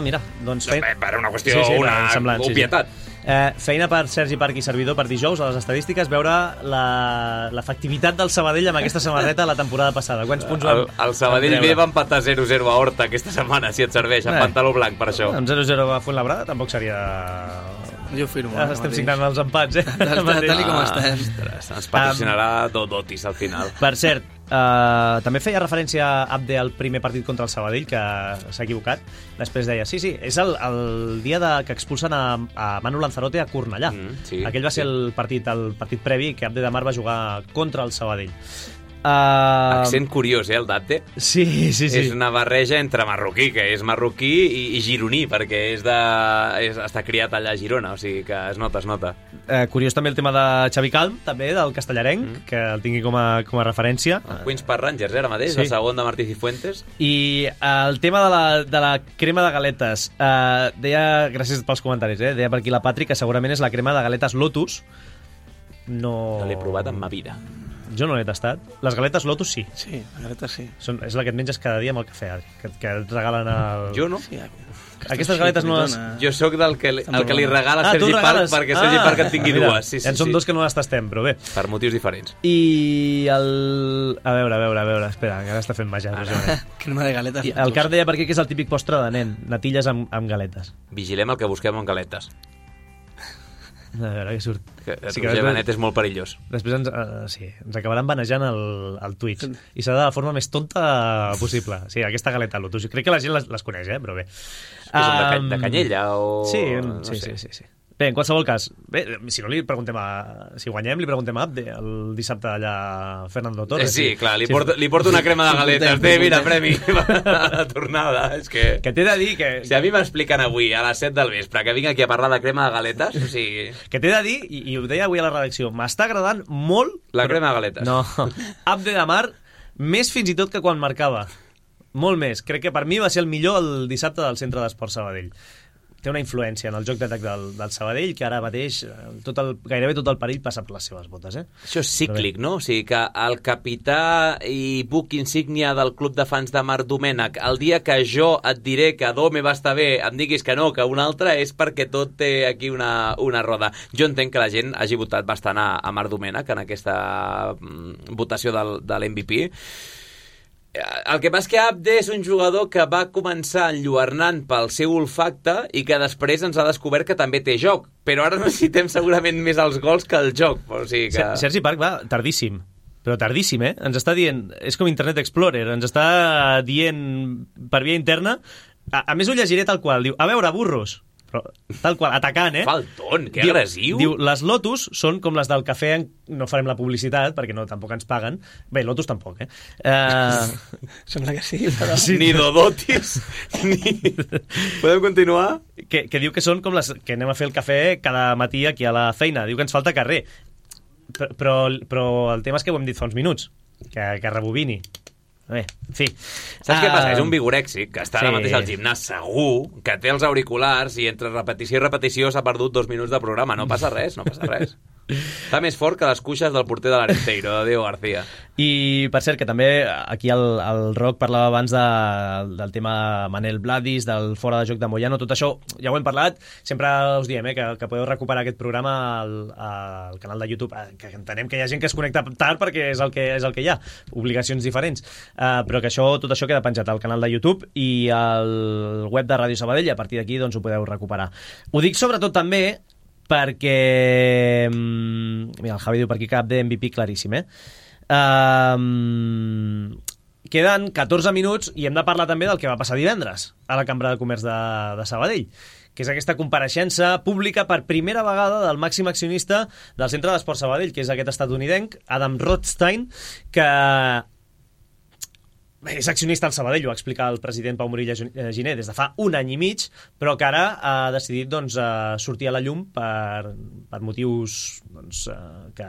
Mira, doncs... Per una qüestió, una obvietat. Feina per Sergi Parc i servidor per dijous a les estadístiques, veure l'efectivitat del Sabadell amb aquesta samarreta la temporada passada. Quants punts vam el Sabadell B va empatar 0-0 a Horta aquesta setmana, si et serveix, amb pantaló blanc per això. Amb 0-0 a Fuenlabrada tampoc seria... Jo firmo. Estem signant els empats, Tal com estem. Ens patrocinarà Dotis al final. Per cert, també feia referència a Abde al primer partit contra el Sabadell, que s'ha equivocat. Després deia, sí, és el dia que expulsen a Manu Lanzarote a Cornellà. Aquell va ser el partit previ que Abde Damar va jugar contra el Sabadell. Accent curiós, el d'Abde? Sí. És una barreja entre marroquí, que és marroquí, i gironí, perquè està criat allà a Girona, o sigui que es nota. Curiós també el tema de Xavi Calm, també, del castellarenc, que el tingui com a referència. Queens Park Rangers, ara mateix, el segon de Martí Cifuentes. I el tema de la crema de galetes, deia, gràcies pels comentaris, deia per aquí la Patri, que segurament és la crema de galetes Lotus. No l'he provat en ma vida. Jo no l'he tastat. Les galetes Lotus sí. Sí, les galetes sí. És la que et menges cada dia amb el cafè, que et regalen el... Jo no. Sí, aquestes galetes no les... Jo sóc el que li regala Sergi Parc perquè Sergi Parc en tingui dues. Sí, en som dos que no les tastem, però bé. Per motius diferents. I el... A veure, espera, que ara està fent màgia. Crema de galetes. El Car deia per aquí que és el típic postre de nen, natilles amb galetes. Vigilem el que busquem amb galetes. A veure què surt. Roger Benet és molt perillós. Després ens acabaran banejant el Twitch. I serà de la forma més tonta possible. Sí, aquesta galeta Lotus. Crec que la gent les coneix, però bé. Que són de canyella o... Sí. Bé, en qualsevol cas, si no li preguntem si guanyem, li preguntem a Abde el dissabte allà a Fernando Torres. Sí, clar, li porto una crema de galetes. Mira, premi a la tornada. És que t'he de dir que... Si a mi m'expliquen avui a les 7 del vespre que vinc aquí a parlar de crema de galetes, o sigui... Que t'he de dir, i ho deia avui a la redacció, m'està agradant molt... La crema de galetes. No, Abde de Mar, més fins i tot que quan marcava. Molt més. Crec que per mi va ser el millor el dissabte del Centre d'Esports Sabadell. Té una influència en el joc d'atac del Sabadell que ara mateix gairebé tot el perill passa per les seves botes. Això és cíclic, no? O sigui que el capità i buc insígnia del club de fans de Marc Domènech, el dia que jo et diré que Dome va estar bé, em diguis que no, que un altre, és perquè tot té aquí una roda. Jo entenc que la gent hagi votat bastant a Marc Domènech en aquesta votació de l'MVP. El que passa és que Abde és un jugador que va començar enlluernant pel seu olfacte i que després ens ha descobert que també té joc, però ara necessitem segurament més els gols que el joc. O sigui que... Sergi Parc va tardíssim, però tardíssim, Ens està dient, és com Internet Explorer, ens està dient per via interna, a més ho llegiré tal qual, diu, a veure, burros, però, tal qual, atacant, Falton, que agressiu. Diu, les Lotus són com les del cafè, no farem la publicitat, perquè tampoc ens paguen. Bé, Lotus tampoc, Sembla que sí, però... Sí. Ni Dodotis, Podem continuar? Que diu que són com les que anem a fer el cafè cada matí aquí a la feina. Diu que ens falta carrer. Però el tema és que ho hem dit fa uns minuts, que rebobini. Bé, en fi. Saps què passa? És un vigorèxic que està ara mateix al gimnàs segur, que té els auriculars i entre repetició i repetició s'ha perdut 2 minuts de programa. No passa res. Està més fort que les cuixes del porter de l'Arenteiro, de Diego García. I, per cert, que també aquí el Roc parlava abans del tema Manel Bladis, del fora de joc de Moyano, tot això ja ho hem parlat, sempre us diem que podeu recuperar aquest programa al canal de YouTube, que entenem que hi ha gent que es connecta tard perquè és el que hi ha, obligacions diferents, però que tot això queda penjat al canal de YouTube i al web de Ràdio Sabadell, i a partir d'aquí doncs ho podeu recuperar. Ho dic sobretot també perquè mira, el Javi diu per aquí cap de MVP claríssim, queden 14 minuts i hem de parlar també del que va passar divendres a la Cambra de Comerç de Sabadell, que és aquesta compareixença pública per primera vegada del màxim accionista del Centre d'Esports Sabadell, que és aquest estatunidenc, Adam Rothstein, que és accionista al Sabadell, ho va explicar el president Pau Morilla Giner des de fa 1 any i mig, però que ara ha decidit sortir a la llum per motius que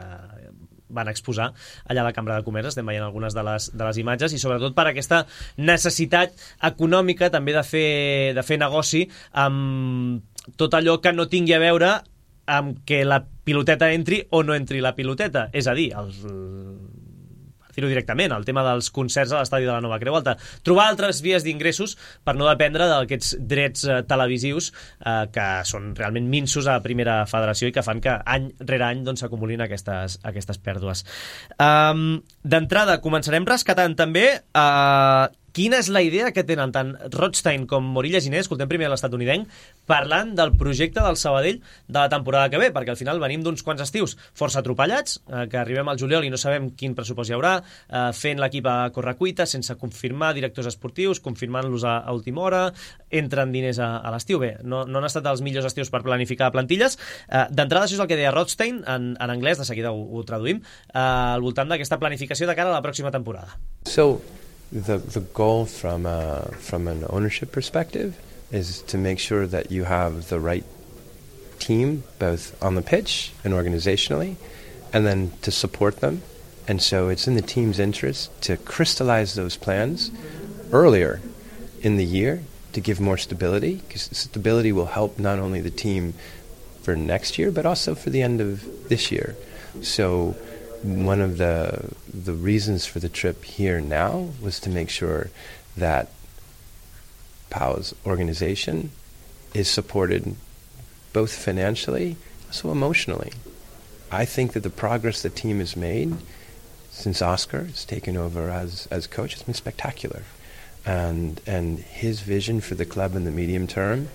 van exposar allà a la Cambra de Comerç. Estem veient algunes de les imatges i sobretot per aquesta necessitat econòmica també de fer negoci amb tot allò que no tingui a veure amb que la piloteta entri o no entri la piloteta, és a dir, dir-ho directament, el tema dels concerts a l'estadi de la Nova Creu Alta. Trobar altres vies d'ingressos per no dependre d'aquests drets televisius que són realment minsos a la primera federació i que fan que any rere any s'acumulin aquestes pèrdues. D'entrada, començarem rescatant també Quina és la idea que tenen tant Rothstein com Morilla Giner, escoltem primer l'estatunidenc, parlant del projecte del Sabadell de la temporada que ve, perquè al final venim d'uns quants estius força atropellats, que arribem al juliol i no sabem quin pressupost hi haurà, fent l'equip a correcuita, sense confirmar directors esportius, confirmant-los a última hora, entren diners a l'estiu. Bé, no han estat els millors estius per planificar plantilles. D'entrada, això és el que deia Rothstein, en anglès, de seguida ho traduïm, al voltant d'aquesta planificació de cara a la pròxima temporada. The goal from an ownership perspective is to make sure that you have the right team, both on the pitch and organizationally, and then to support them. And so it's in the team's interest to crystallize those plans earlier in the year to give more stability, because stability will help not only the team for next year, but also for the end of this year. So one of the reasons for the trip here now was to make sure that Pau's organization is supported both financially, also emotionally. I think that the progress the team has made since Oscar has taken over as coach has been spectacular. And his vision for the club in the medium term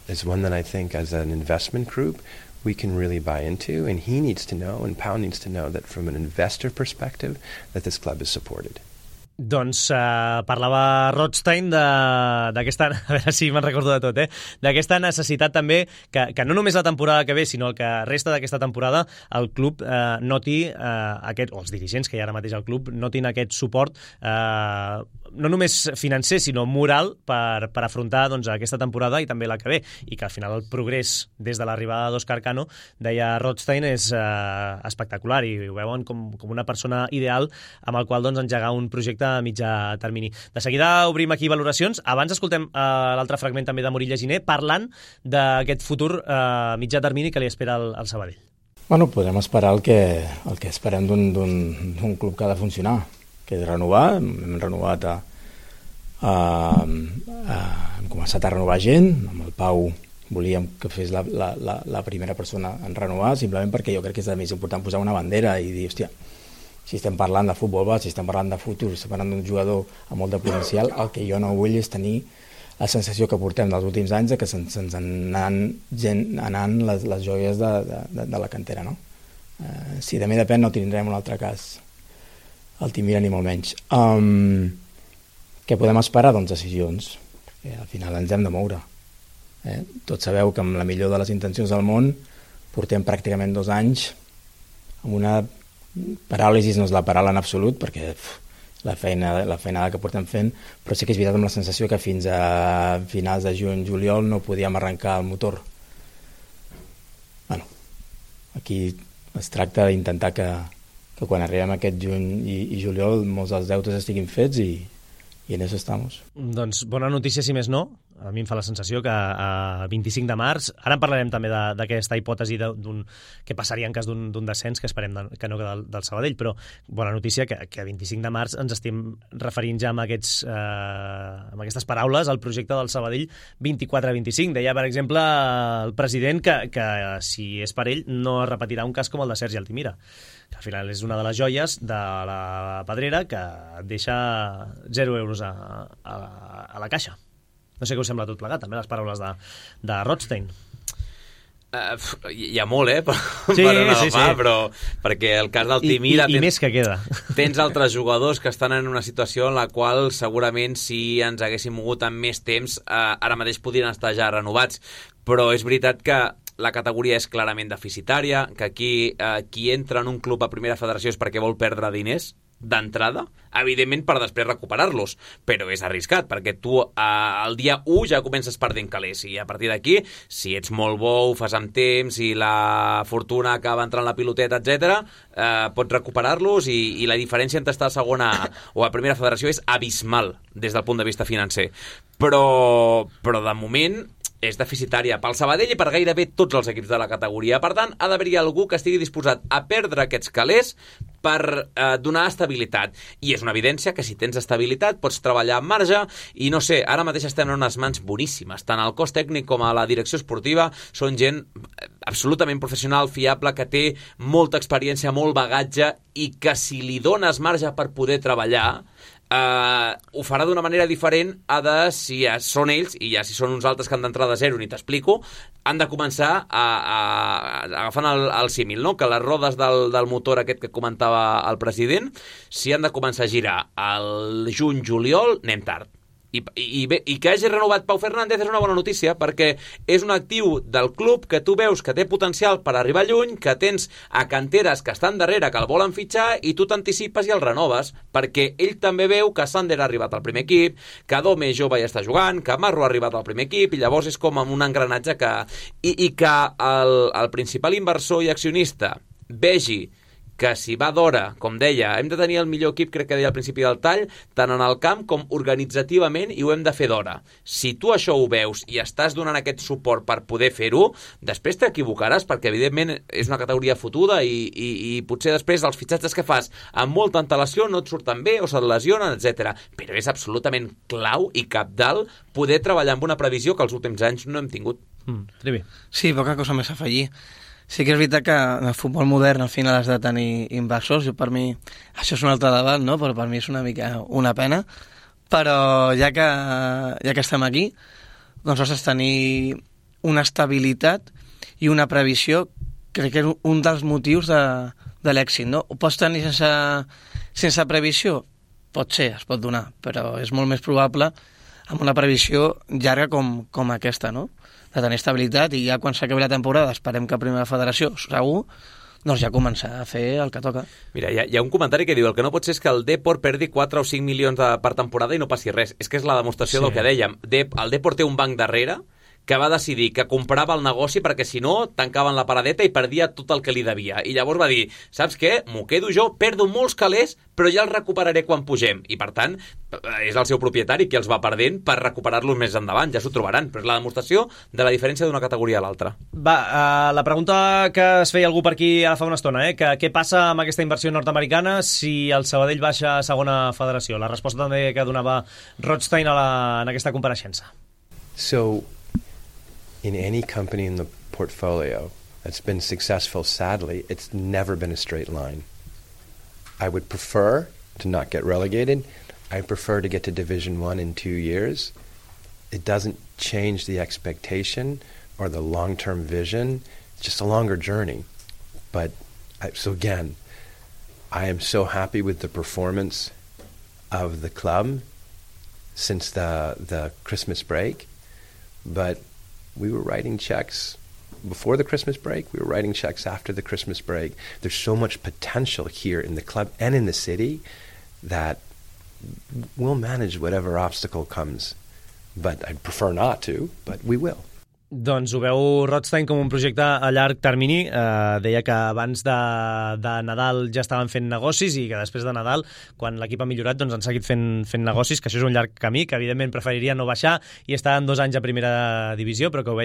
is one that I think as an investment group we can really buy into, and he needs to know, and Pau needs to know that from an investor perspective that this club is supported. Doncs parlava Rothstein d'aquesta, a veure si me'n recordo de tot, d'aquesta necessitat també que no només la temporada que ve, sinó el que resta d'aquesta temporada el club noti aquest, o els dirigents que hi ha ara mateix al club notin aquest suport no només financer, sinó moral per afrontar doncs, aquesta temporada i també la que ve, i que al final el progrés des de l'arribada d'Òscar Cano, deia Rothstein, és espectacular i ho veuen com una persona ideal amb el qual doncs, engegar un projecte a mitjà termini. De seguida obrim aquí valoracions. Abans escoltem l'altre fragment també de Morilla Giner parlant d'aquest futur mitjà termini que li espera al Sabadell. Bueno, podem esperar el que esperem d'un club que ha de funcionar, que és renovar. Hem renovat hem començat a renovar gent. Amb el Pau volíem que fes la primera persona en renovar, simplement perquè jo crec que és el més important posar una bandera i dir, hòstia, si estem parlant de futbol base, si estem parlant de futur, si estem parlant d'un jugador amb molt de potencial, el que jo no vull és tenir la sensació que portem dels últims anys que se'ns anant les joies de la cantera, no? Si de mi depèn no tindrem un altre cas Altimira ni molt menys. Què podem esperar? Doncs decisions, perquè al final ens hem de moure. Tots sabeu que amb la millor de les intencions del món portem pràcticament 2 anys amb una paràlisi, no és la paraula en absolut, perquè la feinada que portem fent, però sí que és veritat amb la sensació que fins a finals de juny-juliol no podíem arrencar el motor. Bueno, aquí es tracta d'intentar que quan arribem a aquest juny i juliol molts dels deutes estiguin fets i en això estamos. Doncs bona notícia, si més no. A mi em fa la sensació que a 25 de març, ara en parlarem també d'aquesta hipòtesi que passaria en cas d'un descens, que esperem que no del Sabadell, però bona notícia que a 25 de març ens estem referint ja amb aquestes paraules al projecte del Sabadell 24-25. Deia, per exemple, el president que si és per ell no es repetirà un cas com el de Sergi Altimira, que al final és una de les joies de la Pedrera que deixa 0 euros a la caixa. No sé què us sembla tot plegat, també les paraules de Rothstein. Hi ha molt, per agafar, però perquè el cas d'Altimira... I més que queda. Tens altres jugadors que estan en una situació en la qual segurament si ens haguéssim mogut amb més temps ara mateix podrien estar ja renovats, però és veritat que la categoria és clarament deficitària, que aquí qui entra en un club a primera federació és perquè vol perdre diners d'entrada, evidentment per després recuperar-los, però és arriscat perquè tu al dia 1 ja comences perdent calés i a partir d'aquí, si ets molt bo, ho fas amb temps i la fortuna acaba entrant la piloteta, etc., pots recuperar-los i la diferència entre estar a segona o a primera federació és abismal des del punt de vista financer, però de moment és deficitària pel Sabadell i per gairebé tots els equips de la categoria. Per tant, ha d'haver-hi algú que estigui disposat a perdre aquests calés per donar estabilitat. I és una evidència que si tens estabilitat pots treballar amb marge i no sé, ara mateix estem en unes mans boníssimes. Tant el cos tècnic com a la direcció esportiva són gent absolutament professional, fiable, que té molta experiència, molt bagatge i que si li dones marge per poder treballar ho farà d'una manera diferent a de si són ells, i ja si són uns altres que han d'entrar de zero, ni t'explico, han de començar agafant el símil, no? Que les rodes del motor aquest que comentava el president, si han de començar a girar al juny-juliol, anem tard. I que hagi renovat Pau Fernández és una bona notícia, perquè és un actiu del club que tu veus que té potencial per arribar lluny, que tens a canteres que estan darrere, que el volen fitxar, i tu t'anticipes i el renoves, perquè ell també veu que Sander ha arribat al primer equip, que Dome jove ja està jugant, que Marro ha arribat al primer equip, i llavors és com un engranatge que... I que el principal inversor i accionista vegi que si va d'hora, com deia, hem de tenir el millor equip, crec que deia al principi del tall, tant en el camp com organitzativament, i ho hem de fer d'hora. Si tu això ho veus i estàs donant aquest suport per poder fer-ho, després t'equivocaràs, perquè evidentment és una categoria fotuda i potser després els fitxatges que fas amb molta antelació no et surten bé o se't lesionen, etc. Però és absolutament clau i cabdal poder treballar amb una previsió que els últims anys no hem tingut. Trivi. Sí, poca cosa més a afegir. Sí que és veritat que el futbol modern al final has de tenir inversors, i per mi això és un altre debat, no? Però per mi és una mica una pena, però ja que estem aquí, doncs has de tenir una estabilitat i una previsió, crec que és un dels motius de l'èxit, no? Ho pots tenir sense previsió? Pot ser, es pot donar, però és molt més probable amb una previsió llarga com aquesta, no? De tenir estabilitat, i ja quan s'acabi la temporada, esperem que a Primera Federació, segur, doncs ja començar a fer el que toca. Mira, hi ha un comentari que diu: el que no pot ser és que el Depor perdi 4 o 5 milions per temporada i no passi res. És que és la demostració del que dèiem. El Depor té un banc darrere que va decidir que comprava el negoci perquè si no tancaven la paradeta i perdia tot el que li devia. I llavors va dir, saps què? M'ho quedo jo, perdo molts calés, però ja els recuperaré quan pugem. I per tant, és el seu propietari qui els va perdent per recuperar-los més endavant. Ja s'ho trobaran, però és la demostració de la diferència d'una categoria a l'altra. Va, la pregunta que es feia algú per aquí ara fa una estona, que què passa amb aquesta inversió nord-americana si el Sabadell baixa a segona federació? La resposta també que donava Rothstein en aquesta compareixença. So, in any company in the portfolio that's been successful, sadly, it's never been a straight line. I would prefer to not get relegated. I prefer to get to Division 1 in 2 years. It doesn't change the expectation or the long-term vision. It's just a longer journey. But, so again, I am so happy with the performance of the club since the Christmas break. But we were writing checks before the Christmas break. We were writing checks after the Christmas break. There's so much potential here in the club and in the city that we'll manage whatever obstacle comes. But I'd prefer not to, but we will. Doncs ho veu Rothstein com un projecte a llarg termini. Deia que abans de Nadal ja estaven fent negocis i que després de Nadal, quan l'equip ha millorat, doncs han seguit fent negocis, que això és un llarg camí, que evidentment preferiria no baixar i estar en 2 anys a primera divisió, però que ho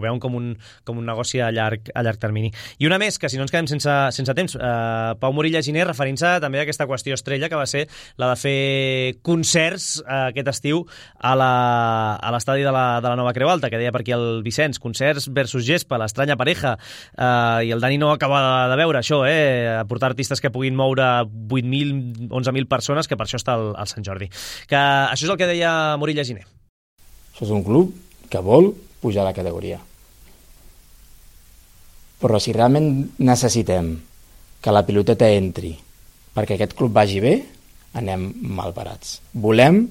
veuen com un negoci a llarg termini. I una més, que si no ens quedem sense temps, Pau Morilla Giner referint-se també a aquesta qüestió estrella que va ser la de fer concerts aquest estiu a l'estadi de la Nova Creu Alta, que deia per aquí el Vicenç, concerts versus gespa, l'estranya pareja, i el Dani no acaba de veure això, portar artistes que puguin moure 8.000, 11.000 persones, que per això està al Sant Jordi. Que això és el que deia Morilla Giner. Això és un club que vol pujar a la categoria. Però si realment necessitem que la piloteta entri perquè aquest club vagi bé, anem mal parats. Volem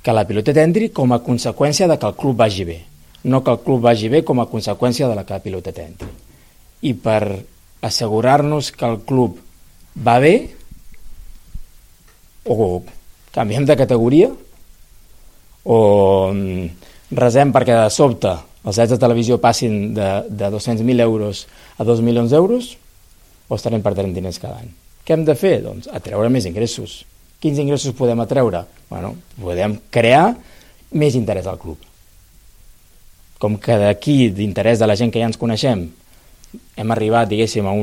que la piloteta entri com a conseqüència de que el club vagi bé, no que el club vagi bé com a conseqüència de la que la piloteta entri. I per assegurar-nos que el club va bé, o canviem de categoria, o resem perquè de sobte els drets de televisió passin de 200.000 euros a 2 milions d'euros, o estarem perdent diners cada any. Què hem de fer? Doncs atreure més ingressos. Quins ingressos podem atreure? Bueno, podem crear més interès al club. Com que d'aquí, d'interès de la gent que ja ens coneixem, hem arribat, diguéssim, a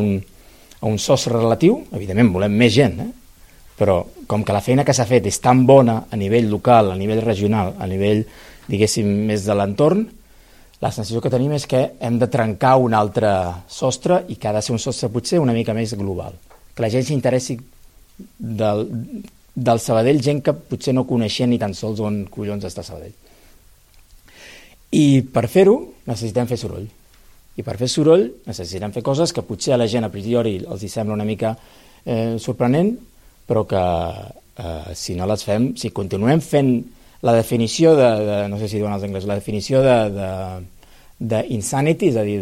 un sostre relatiu, evidentment volem més gent, però com que la feina que s'ha fet és tan bona a nivell local, a nivell regional, a nivell, diguéssim, més de l'entorn, la sensació que tenim és que hem de trencar un altre sostre i que ha de ser un sostre potser una mica més global. Que la gent s'interessi del Sabadell gent que potser no coneixien ni tan sols on collons està Sabadell. I per fer-ho necessitem fer soroll. I per fer soroll necessitem fer coses que potser a la gent a priori els hi sembla una mica sorprenent, però que si no les fem, si continuem fent la definició de no sé si diuen els anglesos, la definició d'insanity, és a dir,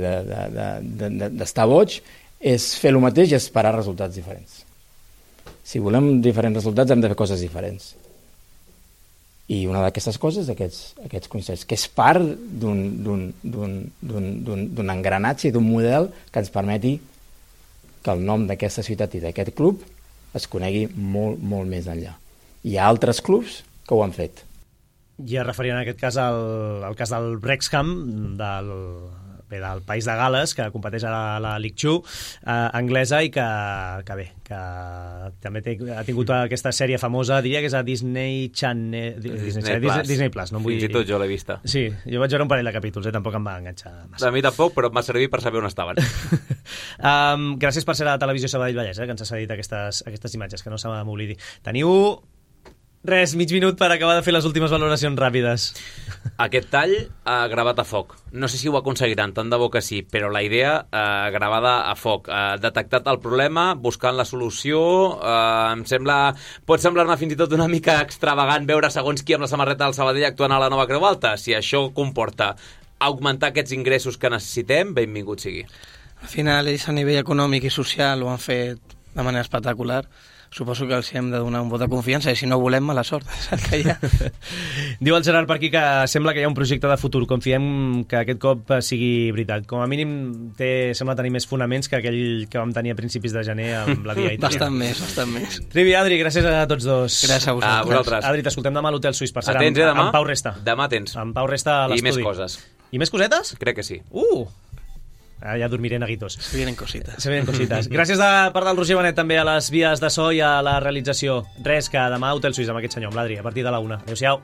d'estar boig, és fer el mateix i esperar resultats diferents. Si volem diferents resultats hem de fer coses diferents. I una d'aquestes coses, aquests concerts, que és part d'un engranatge i d'un model que ens permeti que el nom d'aquesta ciutat i d'aquest club es conegui molt, molt més enllà. Hi ha altres clubs que ho han fet. Ja referien en aquest cas al cas del Wrexham, del País de Gales, que competeix a la League 2 anglesa i que també ha tingut aquesta sèrie famosa, diria que és a Disney Channel, Disney Plus. No Fins i tot jo l'he vista. Sí, jo vaig veure un parell de capítols, tampoc em va enganxar massa. A mi tampoc, però em va servir per saber on estaven. Gràcies per ser a la televisió Sabadell Vallès, que ens ha cedit aquestes imatges, que no se m'oblidi. Teniu mig minut per acabar de fer les últimes valoracions ràpides. Aquest tall gravat a foc. No sé si ho aconseguiran, tant de bo que sí, però la idea gravada a foc. Detectat el problema, buscant la solució, em sembla... Pot semblar-me fins i tot una mica extravagant veure segons qui amb la samarreta del Sabadell actuant a la nova Creu Alta. Si això comporta augmentar aquests ingressos que necessitem, benvingut sigui. Al final, ells a nivell econòmic i social ho han fet de manera espectacular. Suposo que els hem de donar un vot de confiança i si no volem, mala sort. Que ja... Diu el Gerard per aquí que sembla que hi ha un projecte de futur. Confiem que aquest cop sigui veritat. Com a mínim sembla tenir més fonaments que aquell que vam tenir a principis de gener amb la Via Itàlia. Bastant més. Trivi, Adri, gràcies a tots dos. Gràcies a vosaltres. Adri, t'escoltem demà a l'Hotel Suís. Per cert, Atents, demà? amb Pau Resta. Demà tens. Amb Pau Resta a l'estudi. I més coses. I més cosetes? Crec que sí. Ja dormiré neguitos. Se vienen cositas. Gràcies de part del Roger Benet també a les vies de so i a la realització. Res, que demà Hotel Suís amb aquest senyor, amb l'Adri, a partir de la 1. Adéu-siau.